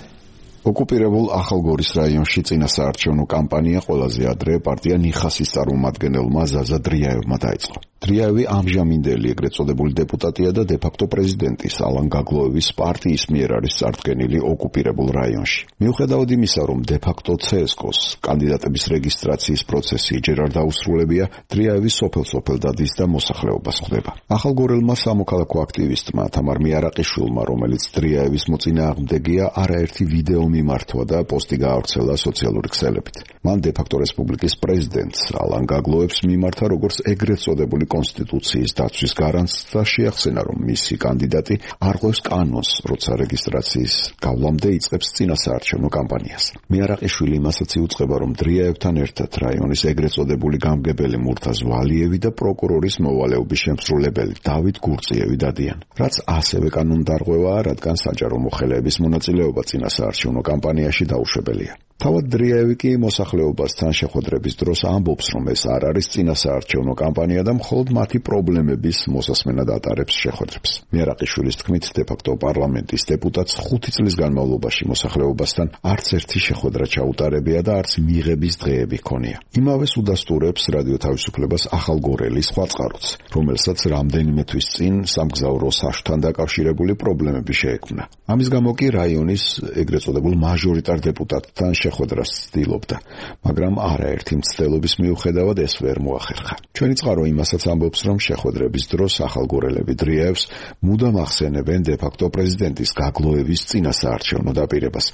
ოკუპირებულ ახალგორის რაიონში წინა საარჩევნო კამპანია ყველაზე ადრე პარტია ნიხასის წარმომადგენელმა ზაზა დრიაევმა დაიწყო. დრიაევი ამჟამინდელი ეგრეთ წოდებული დეპუტატია და დე-ფაქტო პრეზიდენტის ალან გაგლოევის პარტიის მიერ არის წარდგენილი ოკუპირებულ რაიონში. მიუხედავად იმისა, რომ დე-ფაქტო CSKOS კანდიდატების რეგისტრაციის პროცესი ჯერ არ დაუსრულებია, დრიაევი სოფელ-სოფელ დადის და მოსახლეობას ხვდება. ახალგორელმა სამოქალაქო აქტივისტმა თამარ მიარაყიშვილმა, რომელიც დრიაევის მოწინააღმდეგეა, არაერთი ვიდეო მიმართვა და პოსტი გაავრცელა სოციალური ქსელებით. მან დე-ფაქტო რესპუბლიკის პრეზიდენტს ალან გაგლოევს მიმართა როგორც ეგრეთ წოდებული კონსტიტუციის დაცვის გარანტს და შეახსენა, რომ მისი კანდიდატი არღვევს კანონს, როცა რეგისტრაციის გავლამდე იწყებს წინასაარჩევნო კამპანიას. მიარაყიშვილი იმასაც იუწყება, რომ დრიაევთან ერთად რაიონის ეგრეთ წოდებული გამგებელი მურთაზ ვალიევი და პროკურორის მოვალეობის შემსრულებელი დავით გურწიევი დადიან, რაც ასევე კანონდარღვევაა, რადგან საჯარო მოხელეების მონაწილეობა წინასაარჩევნო კამპანიაში დაუშვებელია. თავად დრიაევი კი მოსახლეობასთან შეხვედრების დროს ამბობს, რომ ეს არ არის წინასაარჩევნო კამპანია და მხოლოდ მათი პრობლემების მოსასმენად ატარებს შეხვედრებს. მიარაყიშვილის თქმით, დე-ფაქტო პარლამენტის დეპუტატს 5 წლის განმავლობაში მოსახლეობასთან არც ერთი შეხვედრა ჩაუტარებია და არც მიღების დღეები ჰქონია. იმავეს უდასტურებს რადიო თავისუფლებას ახალგორელი სხვა წყაროც, რომელსაც რამდენიმე თვის წინ სამგზავრო საშთთან დაკავშირებული პრობლემები შეექმნა. ამის გამო კი რაიონის ეგრეთ წოდებულ მაჟორიტარ დეპუტატთან შეხვედრას ცდილობდა, მაგრამ არაერთი მცდელობის მიუხედავად ეს ვერ მოახერხა. ჩვენი წყარო იმასაც ამბობს, რომ შეხვედრების დროს ახალგორელები დრიაევს მუდამ ახსენებენ დე-ფაქტო პრეზიდენტის გაგლოების წინასაარჩევნო დაპირებას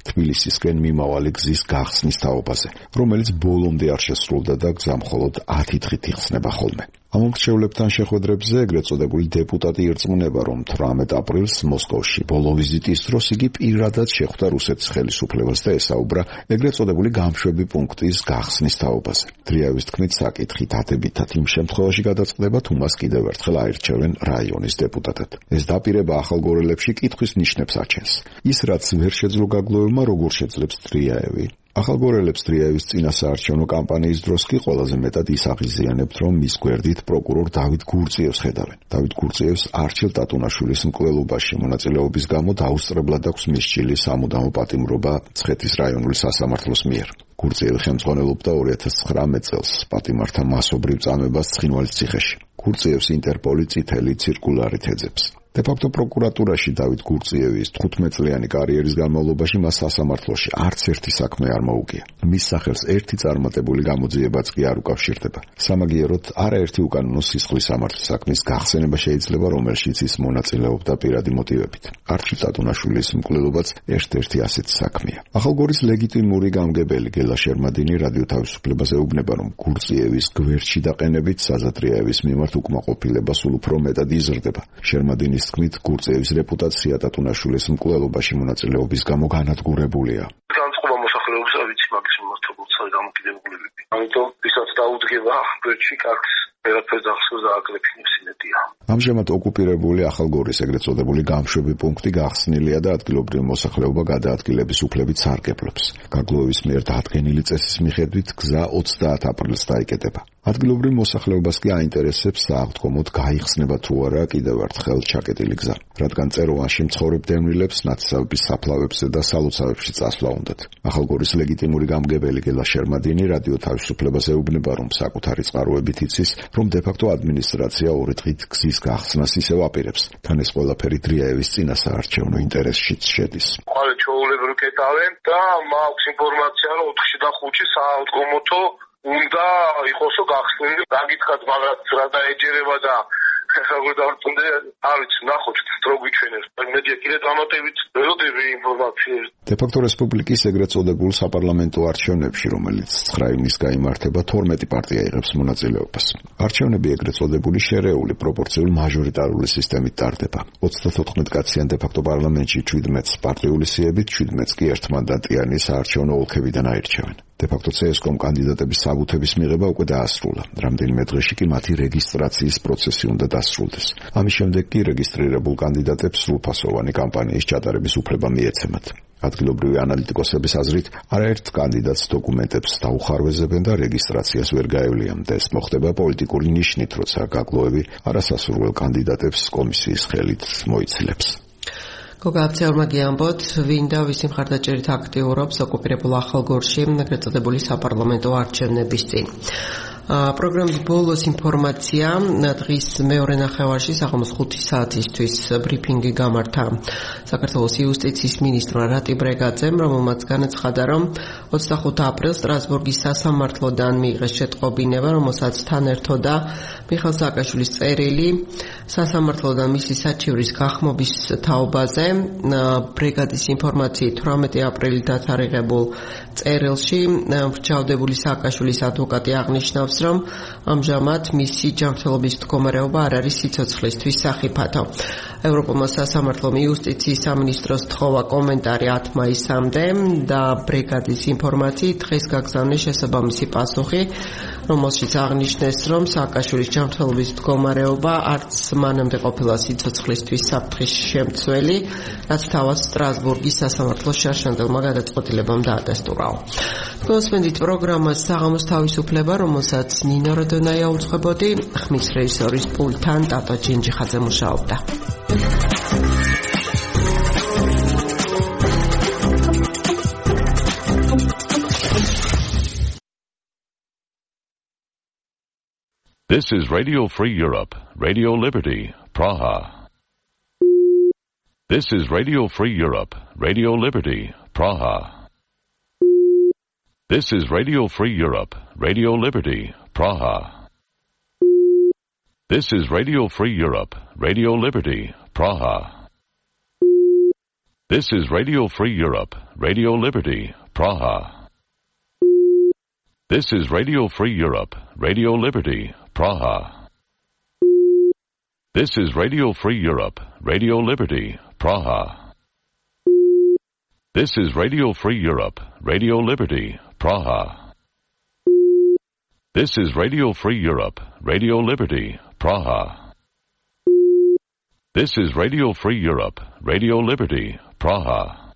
თბილისისკენ მიმავალი გზის გახსნის თაობაზე, რომელიც ბოლომდე არ შესრულდა და გზა მხოლოდ 10 დღით იხსნება ხოლმე. ამ მრჩევლებთან შეხვედრებზე ეგრეთ წოდებული დეპუტატი ირწმუნება, რომ 18 აპრილს მოსკოვში ბოლო ვიზიტის დროს იგი პირადად შეხვდა რუსეთის ხელისუფლებას და ესაუბრა ეგრეთ წოდებული გამშვები პუნქტის გახსნის თაობაზე. დრიაევის თქმით, საკითხი დადებითად იმ შემთხვევაში გადაწყდება, თუ მას კიდევ ერთხელ აირჩევენ რაიონის დეპუტატად. ეს დაპირება ახალგორელებში კითხვის ნიშნებს აჩენს. ის, რაც ვერ შეძლო გაგლოევმა, როგორ შეძლებს დრიაევი? ახალგორელებს დრიაევის წინასაარჩევნო კამპანიის დროს კი ყველაზე მეტად ის აღიზიანებთ, რომ მის გვერდით პროკურორ დავით გურწიევს ხედავენ. დავით გურწიევს არჩილ ტატუნაშვილის მკვლელობაში მონაწილეობის გამო დაუსწრებლად აქვს მისჭილი სამუდამო პატიმრობა ცხეთის რაიონული სასამართლოს მიერ. გურწიევი ხელმძღვანელობდა 2019 წელს პატიმართა მასობრივ წამებას ცხინვალის ციხეში. გურწიევს ინტერპოლი წითელი ცირკულარით ეძებს. დე-ფაქტო პროკურატურაში დავით გურწიევის 15 წლიანი კარიერის განმავლობაში მას სასამართლოში არც ერთი საქმე არ მოუგია. მის სახელს ერთი წარმატებული გამოძიებაც კი არ უკავშირდება. სამაგიეროდ არაერთი უკანონო სისხლის სამართლის საქმის გახსენება შეიძლება, რომელშიც ის მონაწილეობდა პირადი მოტივებით. არჩილ ტატუნაშვილის მკვლელობაც ერთ-ერთი ასეთი საქმეა. ახალგორის ლეგიტიმური გამგებელი გელა შერმადინი რადიო თავისუფლებას ეუბნება, რომ გურწიევის გვერდში დაყენებით საზატრიაევის მიმართ უკმაყოფილება სულ უფრო მეტად იზრდება. შერმადინის თქმით, გურწიევის რეპუტაცია ტატუნაშვილის მკვლელობაში მონაწილეობის გამო განადგურებულია. განწყობა მოსახლეობის ავიცი მაგის მიმართ როგორც დამოკიდებულებები. ამიტომ ვისაც დაუდგება გვერდში კარგს ვერაფერს ახსოვს და აკრეფინებს იმედია. ამჟამად ოკუპირებული ახალგორის ეგრეთ წოდებული გამშვები პუნქტი გახსნილია და ადგილობრივი მოსახლეობა გადაადგილების უფლებით სარგებლობს. გაგლოევის მიერ დადგენილი წესის მიხედვით გზა 30 აპრილს დაიკეტება. ადგილობრივ მოსახლეობას კი აინტერესებს სააღდგომოდ გაიხსნება თუ არა კიდევ ერთხელ ჩაკეტილი გზა, რადგან წეროვანში მცხოვრებ დევნილებს ნათესავების საფლავებზე და სალოცავებში წასვლა უნდათ. ახალგორის ლეგიტიმური გამგებელი გელა შერმადინი რადიო თავისუფლებას ეუბნება, რომ საკუთარი წყაროებით იცის, რომ დე-ფაქტო ადმინისტრაცია 2 დღით გზის გახსნას ისევ აპირებს. თან ეს ყველაფერი დრიაევის წინასაარჩევნო ინტერესშიც შედის. ყველა ჩვეულებრივ კეტავენ და მაქვს ინფორმაცია, რომ 4-ში და 5-ში საავტომობილო უნდა იყოსო გახსნილი. დაგითხრათ, მაგრამ რა დაეჯერება და როგორ დავწუნდე, არ ვიცი, ნახოთ დრო გვიჩვენებს. მედია კიდე დამატებით ველოდები ინფორმაციას. დე-ფაქტო რესპუბლიკის ეგრეთ წოდებულ საპარლამენტო არჩევნებში, რომელიც 9 ივნისს გაიმართება, 12 პარტია იღებს მონაწილეობას. არჩევნები ეგრეთ წოდებული შერეული პროპორციული მაჟორიტარული სისტემით ტარდება. 34 კაციან დე-ფაქტო პარლამენტში 17 პარტიული სიებით, 17 კი ერთმანდატიანი საარჩევნო ოლქებიდან აირჩევენ. დე-ფაქტო CSKOM კანდიდატების საბუთების მიღება უკვე დაასრულა. რამდენიმე დღეში კი მათი რეგისტრაციის პროცესი უნდა დასრულდეს. ამის შემდეგ კი რეგისტრირებულ კანდიდატებს სრულფასოვანი კამპანიის ჩატარების უფლება მიეცემათ. ადგილობრივი ანალიტიკოსების აზრით, არაერთ კანდიდატს დოკუმენტებს დაუხარვეზებენ და რეგისტრაციას ვერ გაევლიან და ეს მოხდება პოლიტიკური ნიშნით, როცა გაგლოევი არასასურველ კანდიდატებს კომისიის ხელით მოიცილებს. გოგა აფცეურმა გიამბოთ, ვინ და ვისი მხარდაჭერით აქტიურობს ოკუპირებულ ახალგორში ეგრეთ წოდებული საპარლამენტო არჩევნების წინ. პროგრამის ბოლოს ინფორმაცია, დღის მეორე ნახევარში საღამოს 5 საათისთვის ბრიფინგი გამართა საქართველოს იუსტიციის მინისტრმა რატი ბრეგაძემ, რომელმაც განაცხადა, რომ 25 აპრილს სტრასბურგის სასამართლოდან მიიღეს შეტყობინება, რომელსაც თან ერთოდა მიხეილ სააკაშვილის წერილი სასამართლოდან მისი საჩივრის გახმობის თაობაზე. ბრიგადის ინფორმაციით 18 აპრილით დათარიღებულ წერილში მრჩევლდებული სააკაშვილის ადვოკატი აღნიშნავს, ამბობს, რომ ამჟამად მისი ჯანმრთელობის მდგომარეობა არ არის სიცოცხლისთვის სახიფათო. ევროპულმა სასამართლომ იუსტიციის სამინისტროს თხოვა კომენტარი 10 მაისამდე და ბრიგადის ინფორმაციით დღეს გაგზავნეს შესაბამისი პასუხი, რომელშიც აღნიშნეს, რომ სააკაშვილის ჯანმრთელობის მდგომარეობა არც მანამდე ყოფილა სიცოცხლისთვის საფრთხის შემცველი, რაც თავად სტრასბურგის სასამართლოს შარშანდელმა გადაწყვეტილებამ დაადასტურა. გასვენდით პროგრამას საღამოს თავისუფლება, რომელსაც ნინო როდონაია უძღვებოდი, ხმის რეჟისორის პულტთან ტატო ჯინჯიხაძე მუშაობდა. This is Radio Free Europe, Radio Liberty, Praha. This is Radio Free Europe, Radio Liberty, Praha. This is Radio Free Europe, Radio Liberty, Praha. This is Radio Free Europe, Radio Liberty, Praha. This is Radio Free Europe, Radio Liberty, Praha. This is Radio Free Europe, Radio Liberty, Praha. This is Radio Free Europe, Radio Liberty, Praha. This is Radio Free Europe, Radio Liberty, Praha. This is Radio Free Europe, Radio Liberty, Praha. This is Radio Free Europe, Radio Liberty, Praha.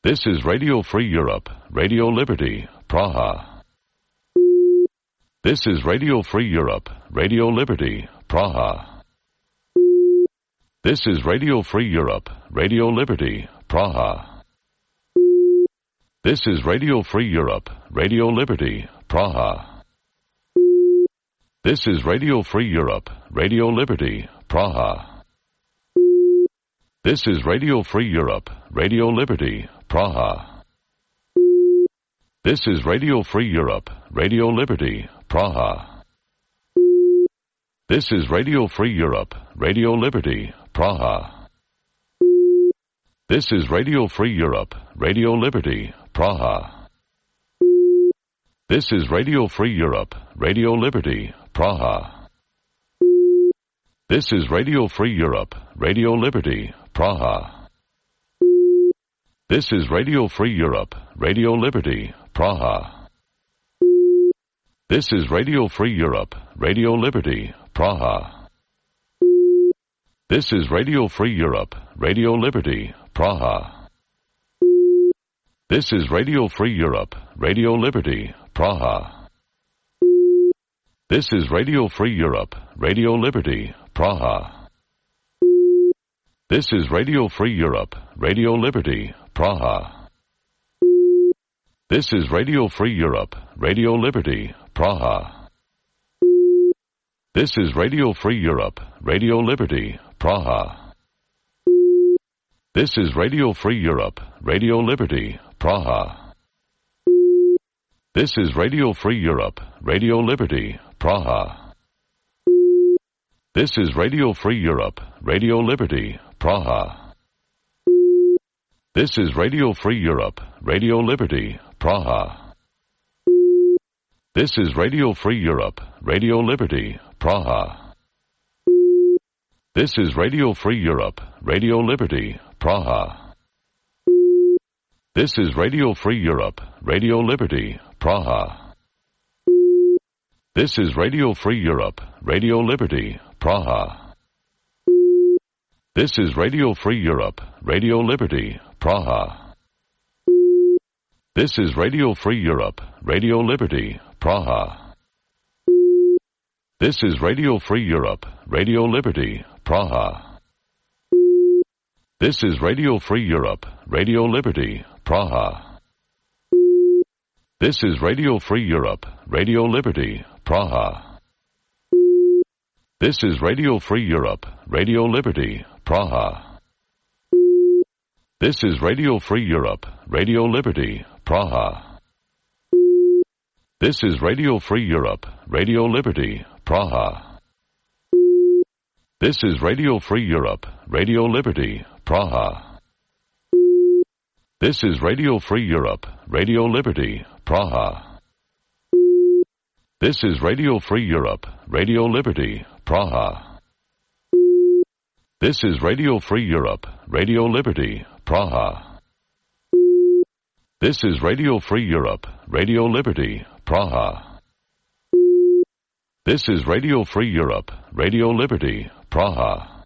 This is Radio Free Europe, Radio Liberty, Praha. This is Radio Free Europe, Radio Liberty, Praha. This is Radio Free Europe, Radio Liberty, Praha. This is Radio Free Europe, Radio Liberty, Praha. This is Radio Free Europe, Radio Liberty, Praha. This is Radio Free Europe, Radio Liberty, Praha. This is Radio Free Europe, Radio Liberty, Praha. This is Radio Free Europe, Radio Liberty, Praha. This is Radio Free Europe, Radio Liberty, Praha. This is Radio Free Europe, Radio Liberty, Praha. This is Radio Free Europe, Radio Liberty, Praha. This is Radio Free Europe, Radio Liberty, Praha. This is Radio Free Europe, Radio Liberty, Praha. This is Radio Free Europe, Radio Liberty, Praha. This is Radio Free Europe, Radio Liberty, Praha. This is Radio Free Europe, Radio Liberty, Praha. This is Radio Free Europe, Radio Liberty, Praha. This is Radio Free Europe, Radio Liberty, Praha. This is Radio Free Europe, Radio Liberty, Praha. This is Radio Free Europe, Radio Liberty, Praha. This is Radio Free Europe, Radio Liberty, Praha. This is Radio Free Europe, Radio Liberty, Praha. This is Radio Free Europe, Radio Liberty, Praha. This is Radio Free Europe, Radio Liberty, Praha. This is Radio Free Europe, Radio Liberty, Praha. This is Radio Free Europe, Radio Liberty, Praha. This is Radio Free Europe, Radio Liberty, Praha. This is Radio Free Europe, Radio Liberty, Praha. This is Radio Free Europe, Radio Liberty, Praha. This is Radio Free Europe, Radio Liberty, Praha. This is Radio Free Europe, Radio Liberty, Praha. This is Radio Free Europe, Radio Liberty, Praha. This is Radio Free Europe, Radio Liberty, Praha. This is Radio Free Europe, Radio Liberty, Praha. This is Radio Free Europe, Radio Liberty, Praha. This is Radio Free Europe, Radio Liberty, Praha. This is Radio Free Europe, Radio Liberty, Praha. This is Radio Free Europe, Radio Liberty, Praha. This is Radio Free Europe, Radio Liberty, Praha. This is Radio Free Europe, Radio Liberty, Praha. This is Radio Free Europe, Radio Liberty, Praha.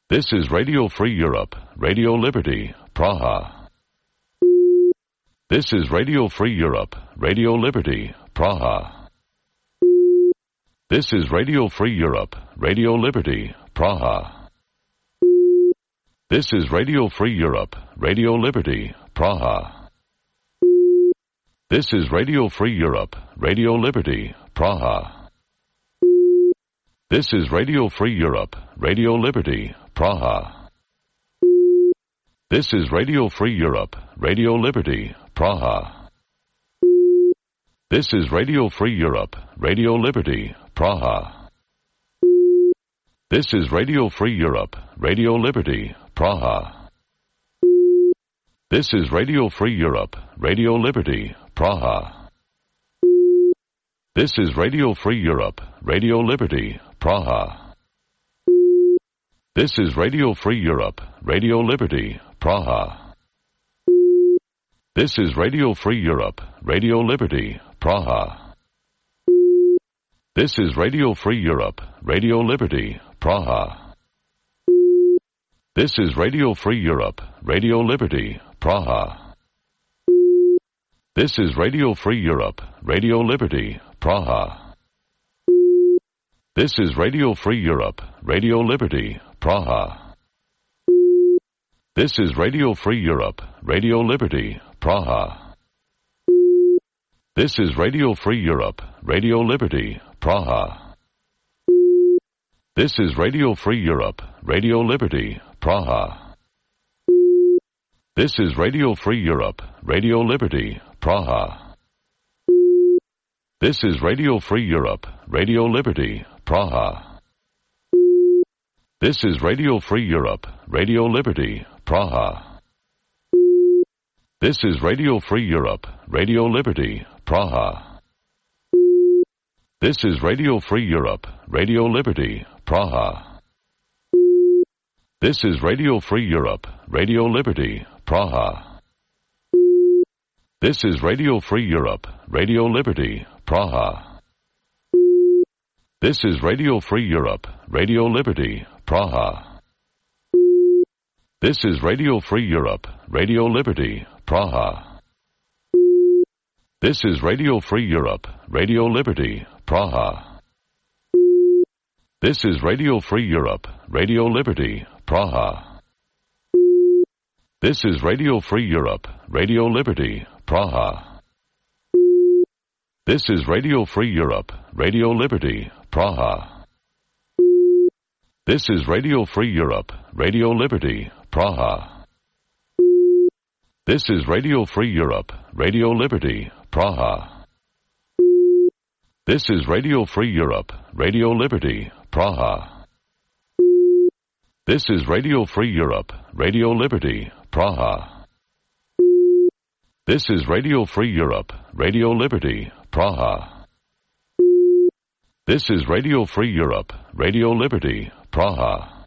This is Radio Free Europe, Radio Liberty, Praha. This is Radio Free Europe, Radio Liberty, Praha. This is Radio Free Europe, Radio Liberty, Praha. This is Radio Free Europe, Radio Liberty, Praha. This is Radio Free Europe, Radio Liberty, Praha. This is Radio Free Europe, Radio Liberty, Praha. This is Radio Free Europe, Radio Liberty, Praha. This is Radio Free Europe, Radio Liberty, Praha. This is Radio Free Europe, Radio Liberty, Praha. This is Radio Free Europe, Radio Liberty, Praha. This is Radio Free Europe, Radio Liberty, Praha. This is Radio Free Europe, Radio Liberty, Praha. This is Radio Free Europe, Radio Liberty, Praha. This is Radio Free Europe, Radio Liberty, Praha. This is Radio Free Europe, Radio Liberty, Praha. This is Radio Free Europe, Radio Liberty, Praha. This is Radio Free Europe, Radio Liberty, Praha. This is Radio Free Europe, Radio Liberty, Praha. This is Radio Free Europe, Radio Liberty, Praha. This is Radio Free Europe, Radio Liberty, Praha. This is Radio Free Europe, Radio Liberty, Praha. This is Radio Free Europe, Radio Liberty, Praha. This is Radio Free Europe, Radio Liberty, Praha. This is Radio Free Europe, Radio Liberty, Praha. This is Radio Free Europe, Radio Liberty, Praha. This is Radio Free Europe, Radio Liberty, Praha. This is Radio Free Europe, Radio Liberty, Praha. This is Radio Free Europe, Radio Liberty, Praha. This is Radio Free Europe, Radio Liberty, Praha. This is Radio Free Europe, Radio Liberty, Praha. This is Radio Free Europe, Radio Liberty, Praha. This is Radio Free Europe, Radio Liberty, Praha. This is Radio Free Europe, Radio Liberty, Praha. This is Radio Free Europe, Radio Liberty, Praha. This is Radio Free Europe, Radio Liberty, Praha. This is Radio Free Europe, Radio Liberty, Praha. This is Radio Free Europe, Radio Liberty, Praha. This is Radio Free Europe, Radio Liberty, Praha. This is Radio Free Europe, Radio Liberty, Praha.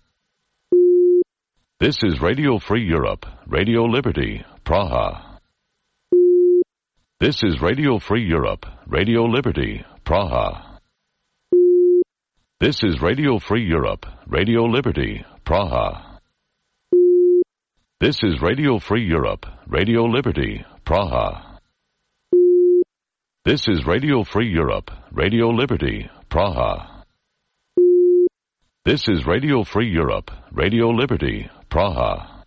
This is Radio Free Europe, Radio Liberty, Praha. This is Radio Free Europe, Radio Liberty, Praha. This is Radio Free Europe, Radio Liberty, Praha. This is Radio Free Europe, Radio Liberty, Praha. This is Radio Free Europe, Radio Liberty, Praha. This is Radio Free Europe, Radio Liberty, Praha.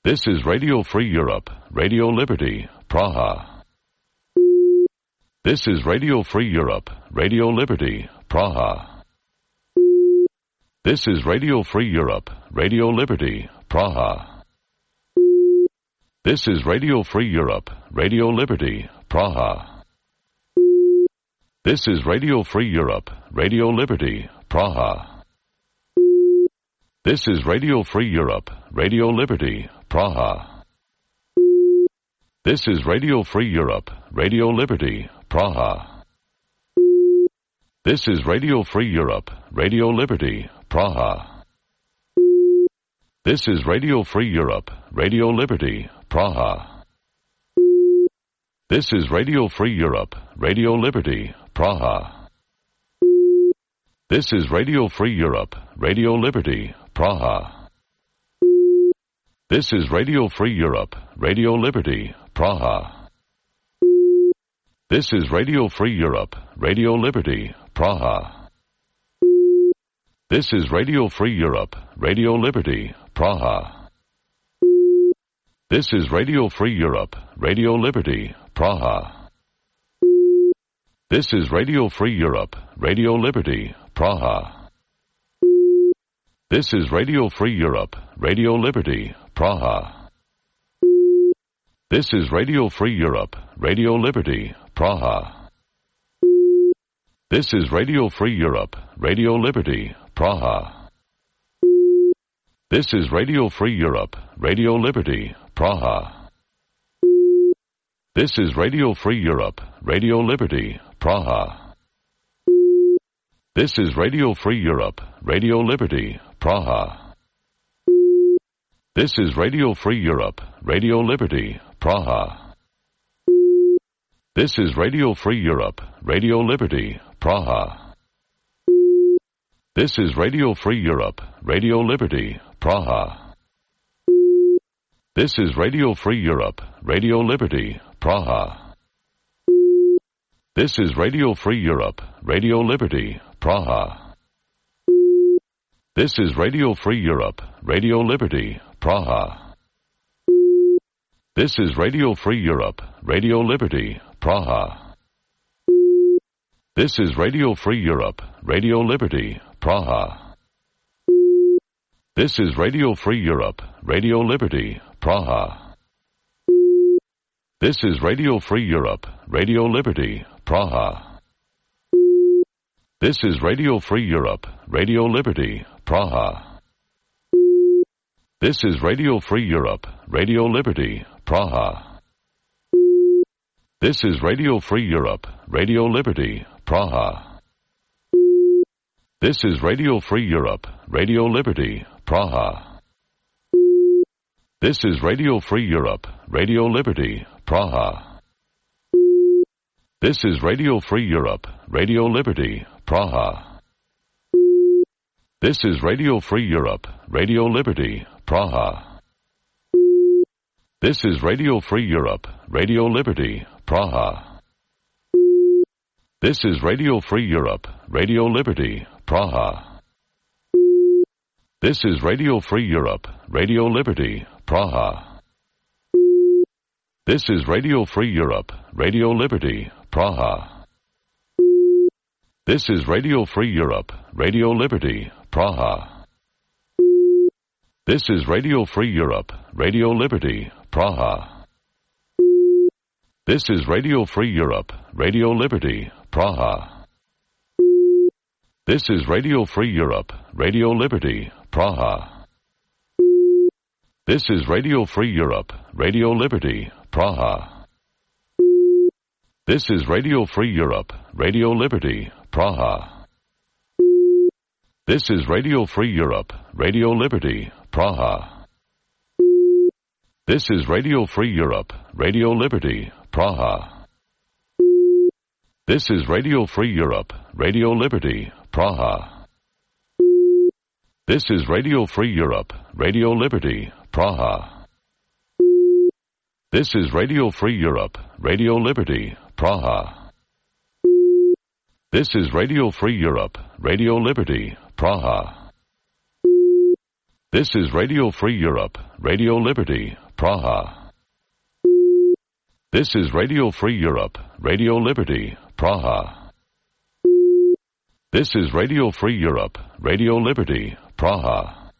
This is Radio Free Europe, Radio Liberty, Praha. This is Radio Free Europe, Radio Liberty, Praha. This is Radio Free Europe, Radio Liberty, Praha. This is Radio Free Europe, Radio Liberty, Praha. This is Radio Free Europe, Radio Liberty, Praha. This is Radio Free Europe, Radio Liberty, Praha. This is Radio Free Europe, Radio Liberty, Praha. This is Radio Free Europe, Radio Liberty, Praha. This is Radio Free Europe, Radio Liberty, Praha. This is Radio Free Europe, Radio Liberty, Praha. This is Radio Free Europe, Radio Liberty, Praha. This is Radio Free Europe, Radio Liberty, Praha. This is Radio Free Europe, Radio Liberty, Praha. This is Radio Free Europe, Radio Liberty, Praha. This is Radio Free Europe, Radio Liberty, Praha. This is Radio Free Europe, Radio Liberty, Praha. This is Radio Free Europe, Radio Liberty, Praha. This is Radio Free Europe, Radio Liberty, Praha. This is Radio Free Europe, Radio Liberty, Praha. This is Radio Free Europe, Radio Liberty, Praha. This is Radio Free Europe, Radio Liberty, Praha. This is Radio Free Europe, Radio Liberty, Praha. This is Radio Free Europe, Radio Liberty, Praha. This is Radio Free Europe, Radio Liberty, Praha. This is Radio Free Europe, Radio Liberty, Praha. This is Radio Free Europe, Radio Liberty, Praha. This is Radio Free Europe, Radio Liberty, Praha. This is Radio Free Europe, Radio Liberty, Praha. This is Radio Free Europe, Radio Liberty, Praha. This is Radio Free Europe, Radio Liberty, Praha. This is Radio Free Europe, Radio Liberty, Praha. This is Radio Free Europe, Radio Liberty, Praha. This is Radio Free Europe, Radio Liberty, Praha. This is Radio Free Europe, Radio Liberty, Praha. This is Radio Free Europe, Radio Liberty, Praha. This is Radio Free Europe, Radio Liberty, Praha. This is Radio Free Europe, Radio Liberty, Praha. This is Radio Free Europe, Radio Liberty, Praha. This is Radio Free Europe, Radio Liberty, Praha. This is Radio Free Europe, Radio Liberty, Praha. This is Radio Free Europe, Radio Liberty, Praha. This is Radio Free Europe, Radio Liberty, Praha. This is Radio Free Europe, Radio Liberty, Praha. This is Radio Free Europe, Radio Liberty, Praha. This is Radio Free Europe, Radio Liberty, Praha. This is Radio Free Europe, Radio Liberty, Praha. This is Radio Free Europe, Radio Liberty, Praha. This is Radio Free Europe, Radio Liberty, Praha. This is Radio Free Europe, Radio Liberty, Praha. This is Radio Free Europe, Radio Liberty, Praha. This is Radio Free Europe, Radio Liberty, Praha. This is Radio Free Europe, Radio Liberty, Praha. This is Radio Free Europe, Radio Liberty, Praha. This is Radio Free Europe, Radio Liberty, Praha. This is Radio Free Europe, Radio Liberty, Praha. This is Radio Free Europe, Radio Liberty, Praha. This is Radio Free Europe, Radio Liberty, Praha. This is Radio Free Europe, Radio Liberty, Praha.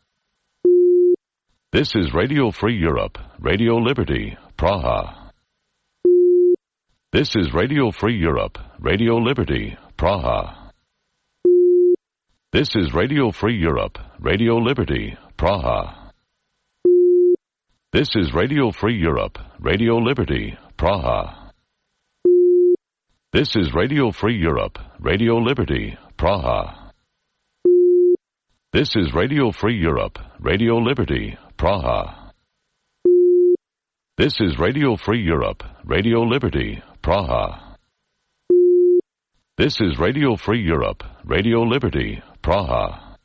This is Radio Free Europe, Radio Liberty, Praha. This is Radio Free Europe, Radio Liberty, Praha. This is Radio Free Europe, Radio Liberty, Praha. This is Radio Free Europe, Radio Liberty, Praha. This is Radio Free Europe, Radio Liberty, Praha. This is Radio Free Europe, Radio Liberty, Praha. This is Radio Free Europe, Radio Liberty, Praha. This is Radio Free Europe, Radio Liberty, Praha.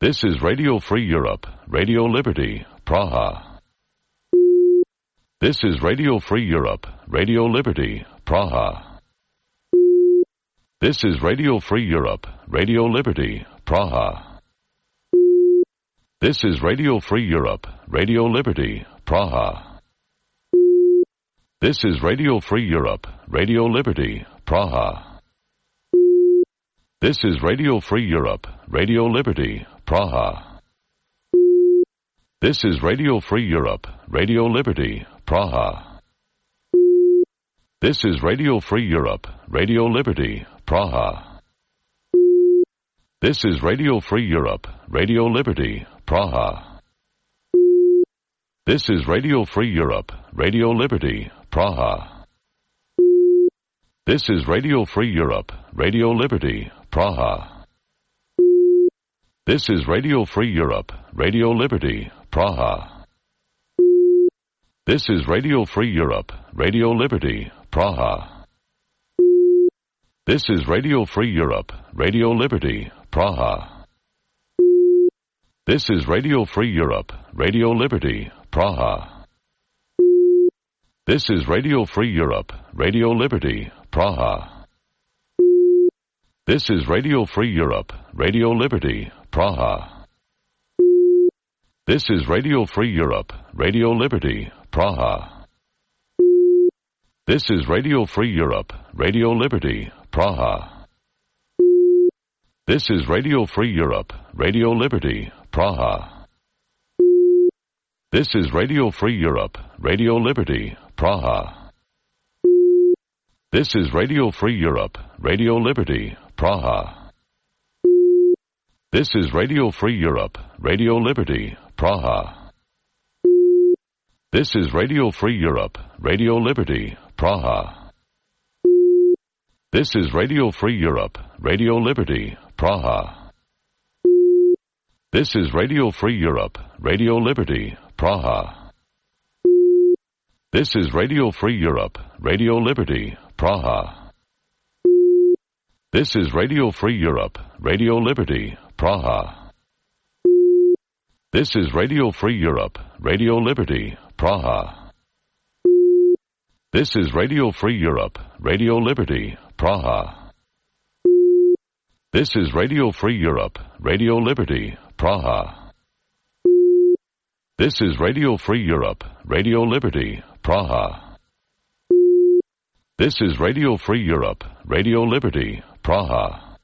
This is Radio Free Europe, Radio Liberty, Praha. This is Radio Free Europe, Radio Liberty, Praha. This is Radio Free Europe, Radio Liberty, Praha. This is Radio Free Europe, Radio Liberty, Praha. This is Radio Free Europe, Radio Liberty, Praha. This is Radio Free Europe, Radio Liberty, Praha. This is Radio Free Europe, Radio Liberty, Praha. This is Radio Free Europe, Radio Liberty, Praha. This is Radio Free Europe, Radio Liberty, Praha. This is Radio Free Europe, Radio Liberty, Praha. This is Radio Free Europe, Radio Liberty, Praha. This is Radio Free Europe, Radio Liberty, Praha. This is Radio Free Europe, Radio Liberty, Praha. This is Radio Free Europe, Radio Liberty, Praha. This is Radio Free Europe, Radio Liberty, Praha. This is Radio Free Europe, Radio Liberty, Praha. This is Radio Free Europe, Radio Liberty, Praha. This is Radio Free Europe, Radio Liberty, Praha. This is Radio Free Europe, Radio Liberty, Praha. This is Radio Free Europe, Radio Liberty, Praha. This is Radio Free Europe, Radio Liberty, Praha. This is Radio Free Europe, Radio Liberty, Praha. This is Radio Free Europe, Radio Liberty, Praha. This is Radio Free Europe, Radio Liberty, Praha. This is Radio Free Europe, Radio Liberty, Praha. This is Radio Free Europe, Radio Liberty, Praha. This is Radio Free Europe, Radio Liberty, Praha. This is Radio Free Europe, Radio Liberty, Praha. This is Radio Free Europe, Radio Liberty, Praha. This is Radio Free Europe, Radio Liberty, Praha. This is Radio Free Europe, Radio Liberty, Praha. This is Radio Free Europe, Radio Liberty, Praha. This is Radio Free Europe, Radio Liberty, Praha.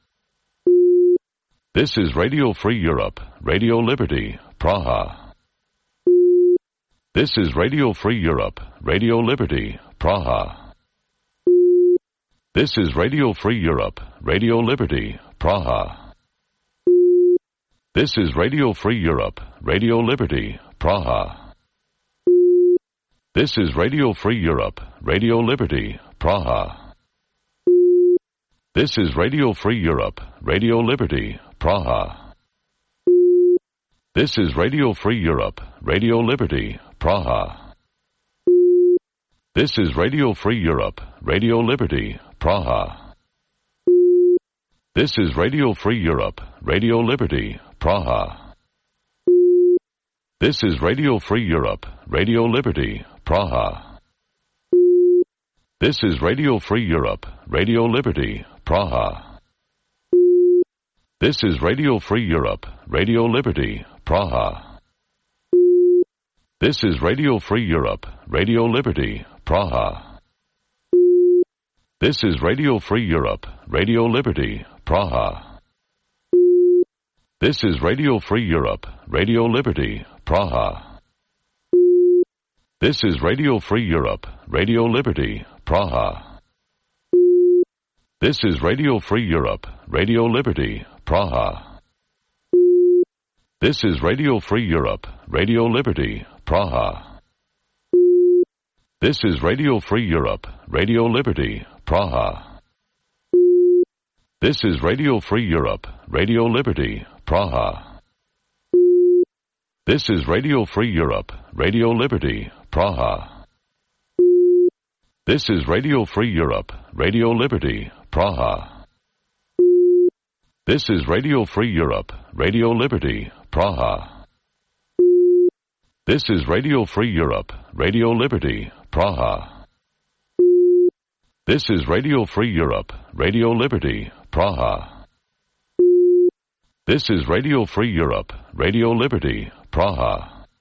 This is Radio Free Europe, Radio Liberty, Praha. This is Radio Free Europe, Radio Liberty, Praha. This is Radio Free Europe, Radio Liberty, Praha. This is Radio Free Europe, Radio Liberty, Praha. This is Radio Free Europe, Radio Liberty, Praha. This is Radio Free Europe, Radio Liberty, Praha. This is Radio Free Europe, Radio Liberty, Praha. This is Radio Free Europe, Radio Liberty, Praha. This is Radio Free Europe, Radio Liberty, Praha. This is Radio Free Europe, Radio Liberty, Praha. This is Radio Free Europe, Radio Liberty, Praha. This is Radio Free Europe, Radio Liberty, Praha. This is Radio Free Europe, Radio Liberty, Praha. This is Radio Free Europe, Radio Liberty, Praha. This is Radio Free Europe, Radio Liberty, Praha. This is Radio Free Europe, Radio Liberty, Praha. This is Radio Free Europe, Radio Liberty, Praha. This is Radio Free Europe, Radio Liberty, Praha. This is Radio Free Europe, Radio Liberty, Praha. This is Radio Free Europe, Radio Liberty, Praha. This is Radio Free Europe, Radio Liberty, Praha. This is Radio Free Europe, Radio Liberty, Praha. This is Radio Free Europe, Radio Liberty, Praha. This is Radio Free Europe, Radio Liberty, Praha. This is Radio Free Europe, Radio Liberty, Praha. This is Radio Free Europe, Radio Liberty, Praha.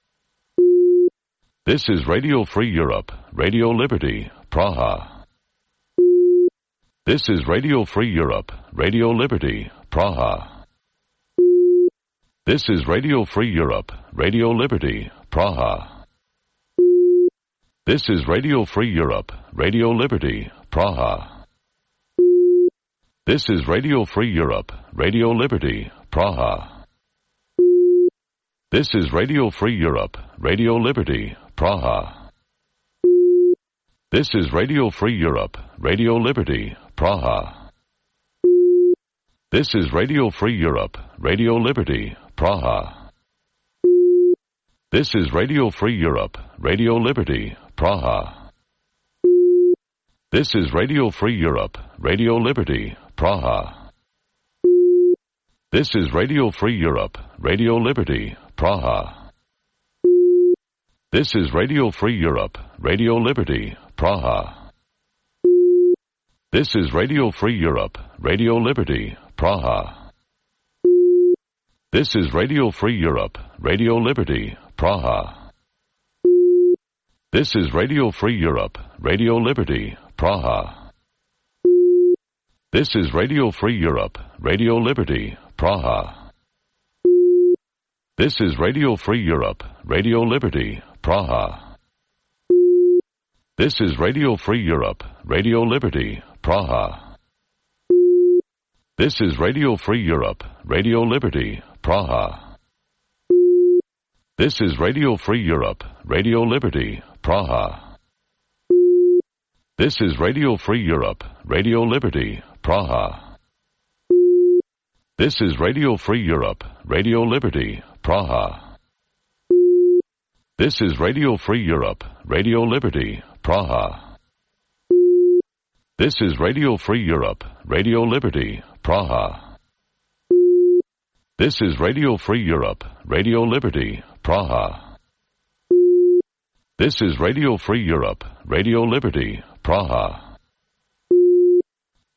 This is Radio Free Europe, Radio Liberty, Praha. This is Radio Free Europe, Radio Liberty, Praha. This is Radio Free Europe, Radio Liberty, Praha. This is Radio Free Europe, Radio Liberty, Praha. This is Radio Free Europe, Radio Liberty, Praha. This is Radio Free Europe, Radio Liberty, Praha. This is Radio Free Europe, Radio Liberty, Praha. This is Radio Free Europe, Radio Liberty, Praha. This is Radio Free Europe, Radio Liberty, Praha. This is Radio Free Europe, Radio Liberty, Praha. This is Radio Free Europe, Radio Liberty, Praha. This is Radio Free Europe, Radio Liberty, Praha. This is Radio Free Europe, Radio Liberty, Praha. This is Radio Free Europe, Radio Liberty, Praha. This is Radio Free Europe, Radio Liberty, Praha. This is Radio Free Europe, Radio Liberty, Praha. This is Radio Free Europe, Radio Liberty, Praha. This is Radio Free Europe, Radio Liberty, Praha. This is Radio Free Europe, Radio Liberty, Praha. This is Radio Free Europe, Radio Liberty, Praha. This is Radio Free Europe, Radio Liberty, Praha. This is Radio Free Europe, Radio Liberty, Praha. This is Radio Free Europe, Radio Liberty, Praha. This is Radio Free Europe, Radio Liberty, Praha. This is Radio Free Europe, Radio Liberty, Praha. This is Radio Free Europe, Radio Liberty, Praha.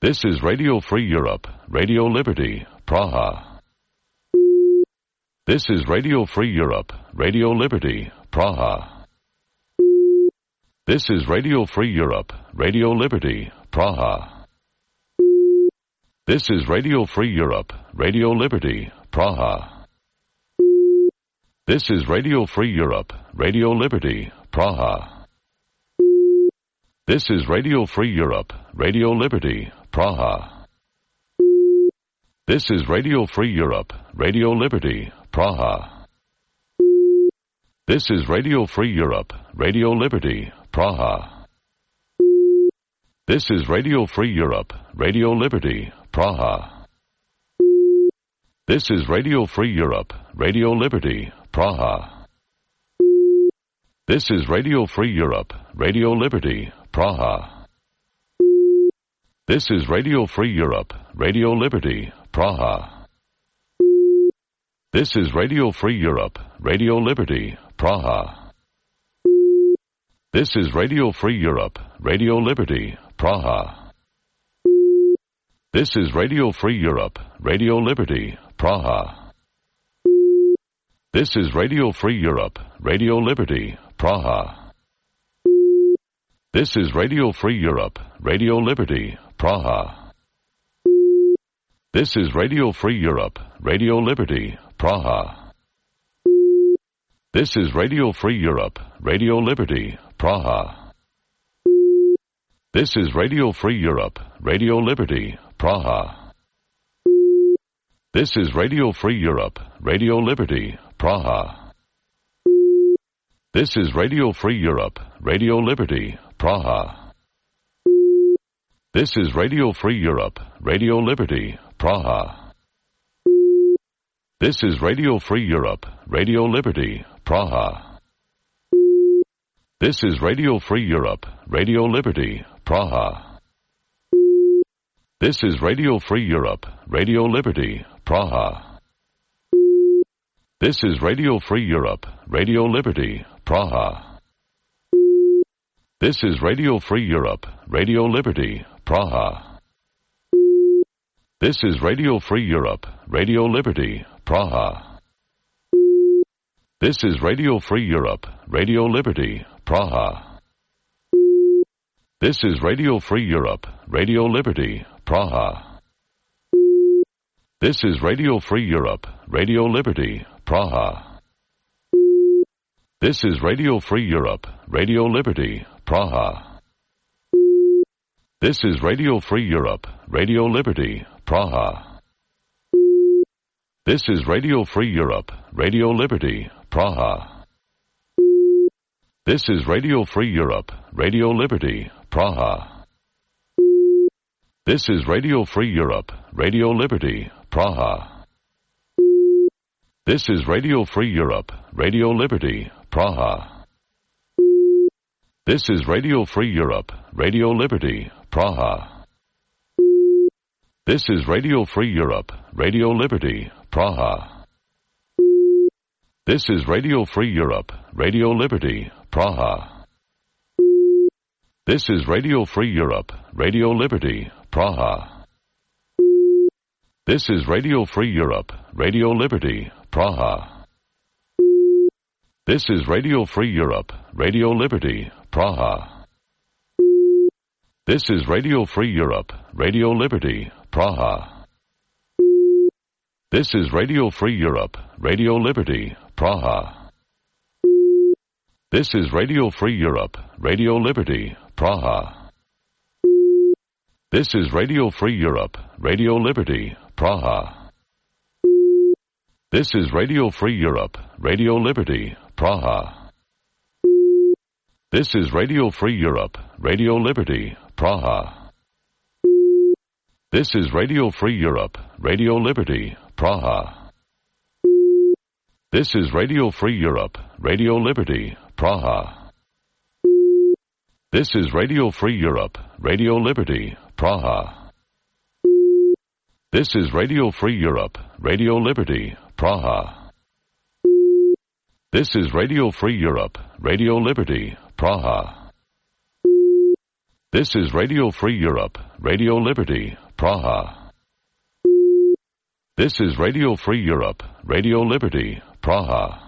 This is Radio Free Europe, Radio Liberty, Praha. This is Radio Free Europe, Radio Liberty, Praha. This is Radio Free Europe, Radio Liberty, Praha. This is Radio Free Europe, Radio Liberty, Praha. This is Radio Free Europe, Radio Liberty, Praha. This is Radio Free Europe, Radio Liberty, Praha. This is Radio Free Europe, Radio Liberty, Praha. This is Radio Free Europe, Radio Liberty, Praha. This is Radio Free Europe, Radio Liberty, Praha. This is Radio Free Europe, Radio Liberty, Praha. This is Radio Free Europe, Radio Liberty, Praha. This is Radio Free Europe, Radio Liberty, Praha. This is Radio Free Europe, Radio Liberty, Praha. This is Radio Free Europe, Radio Liberty, Praha. This is Radio Free Europe, Radio Liberty, Praha. This is Radio Free Europe, Radio Liberty, Praha. This is Radio Free Europe, Radio Liberty, Praha. This is Radio Free Europe, Radio Liberty, Praha. This is Radio Free Europe, Radio Liberty, Praha. This is Radio Free Europe, Radio Liberty, Praha. This is Radio Free Europe, Radio Liberty, Praha. This is Radio Free Europe, Radio Liberty, Praha. This is Radio Free Europe, Radio Liberty, Praha. This is Radio Free Europe, Radio Liberty, Praha. This is Radio Free Europe, Radio Liberty, Praha. This is Radio Free Europe, Radio Liberty, Praha. This is Radio Free Europe, Radio Liberty, Praha. This is Radio Free Europe, Radio Liberty, Praha. This is Radio Free Europe, Radio Liberty, Praha. This is Radio Free Europe, Radio Liberty, Praha. This is Radio Free Europe, Radio Liberty, Praha. This is Radio Free Europe, Radio Liberty, Praha. This is Radio Free Europe, Radio Liberty, Praha. This is Radio Free Europe, Radio Liberty, Praha. This is Radio Free Europe, Radio Liberty, Praha. This is Radio Free Europe, Radio Liberty, Praha. This is Radio Free Europe, Radio Liberty, Praha. This is Radio Free Europe, Radio Liberty, Praha. This is Radio Free Europe, Radio Liberty, Praha. This is Radio Free Europe, Radio Liberty, Praha. This is Radio Free Europe, Radio Liberty, Praha. This is Radio Free Europe, Radio Liberty, Praha. This is Radio Free Europe, Radio Liberty, Praha. This is Radio Free Europe, Radio Liberty, Praha. This is Radio Free Europe, Radio Liberty, Praha. This is Radio Free Europe, Radio Liberty, Praha. This is Radio Free Europe, Radio Liberty, Praha. This is Radio Free Europe, Radio Liberty, Praha. This is Radio Free Europe, Radio Liberty, Praha. This is Radio Free Europe, Radio Liberty, Praha. This is Radio Free Europe, Radio Liberty, Praha. This is Radio Free Europe, Radio Liberty, Praha. This is Radio Free Europe, Radio Liberty, Praha. This is Radio Free Europe, Radio Liberty, Praha. This is Radio Free Europe, Radio Liberty, Praha. This is Radio Free Europe, Radio Liberty, Praha. This is Radio Free Europe, Radio Liberty, Praha.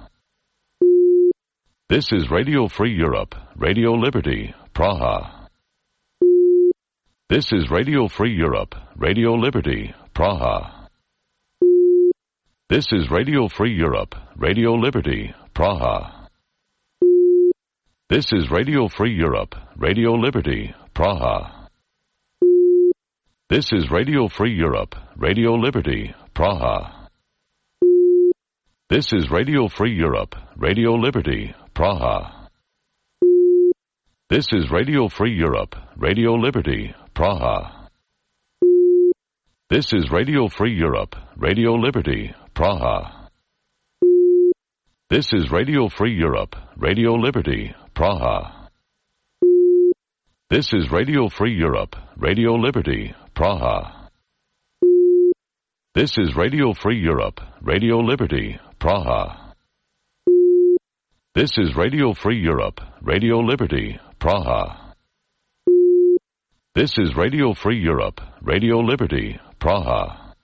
This is Radio Free Europe, Radio Liberty, Praha. This is Radio Free Europe, Radio Liberty, Praha. This is Radio Free Europe, Radio Liberty, Praha. This is Radio Free Europe, Radio Liberty, Praha. This is Radio Free Europe, Radio Liberty, Praha. This is Radio Free Europe, Radio Liberty, Praha. This is Radio Free Europe, Radio Liberty, Praha. This is Radio Free Europe, Radio Liberty, Praha. This is Radio Free Europe, Radio Liberty, Praha. This is Radio Free Europe, Radio Liberty, Praha. This is Radio Free Europe, Radio Liberty, Praha. This is Radio Free Europe, Radio Liberty, Praha. This is Radio Free Europe, Radio Liberty, Praha.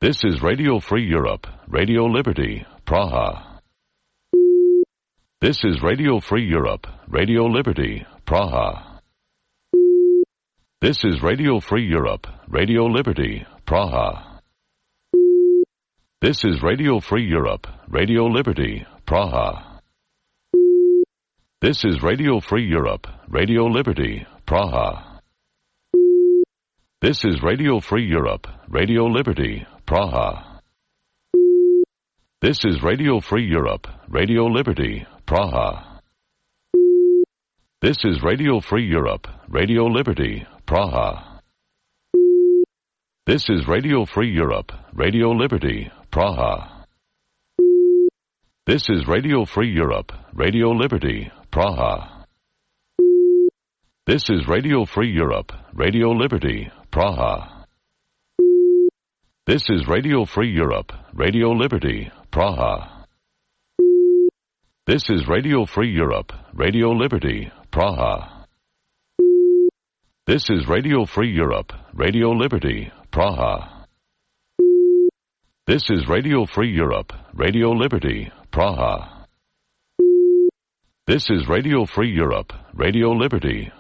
This is Radio Free Europe, Radio Liberty, Praha. This is Radio Free Europe, Radio Liberty, Praha. This is Radio Free Europe, Radio Liberty, Praha. This is Radio Free Europe, Radio Liberty, Praha. This is Radio Free Europe, Radio Liberty, Praha. This is Radio Free Europe, Radio Liberty, Praha. This is Radio Free Europe, Radio Liberty, Praha. This is Radio Free Europe, Radio Liberty, Praha. This is Radio Free Europe, Radio Liberty, Praha. This is Radio Free Europe, Radio Liberty, Praha. This is Radio Free Europe, Radio Liberty, Praha. This is Radio Free Europe, Radio Liberty, Praha. This is Radio Free Europe, Radio Liberty, Praha. This is Radio Free Europe, Radio Liberty, Praha. This is Radio Free Europe, Radio Liberty, Praha. This is Radio Free Europe, Radio Liberty,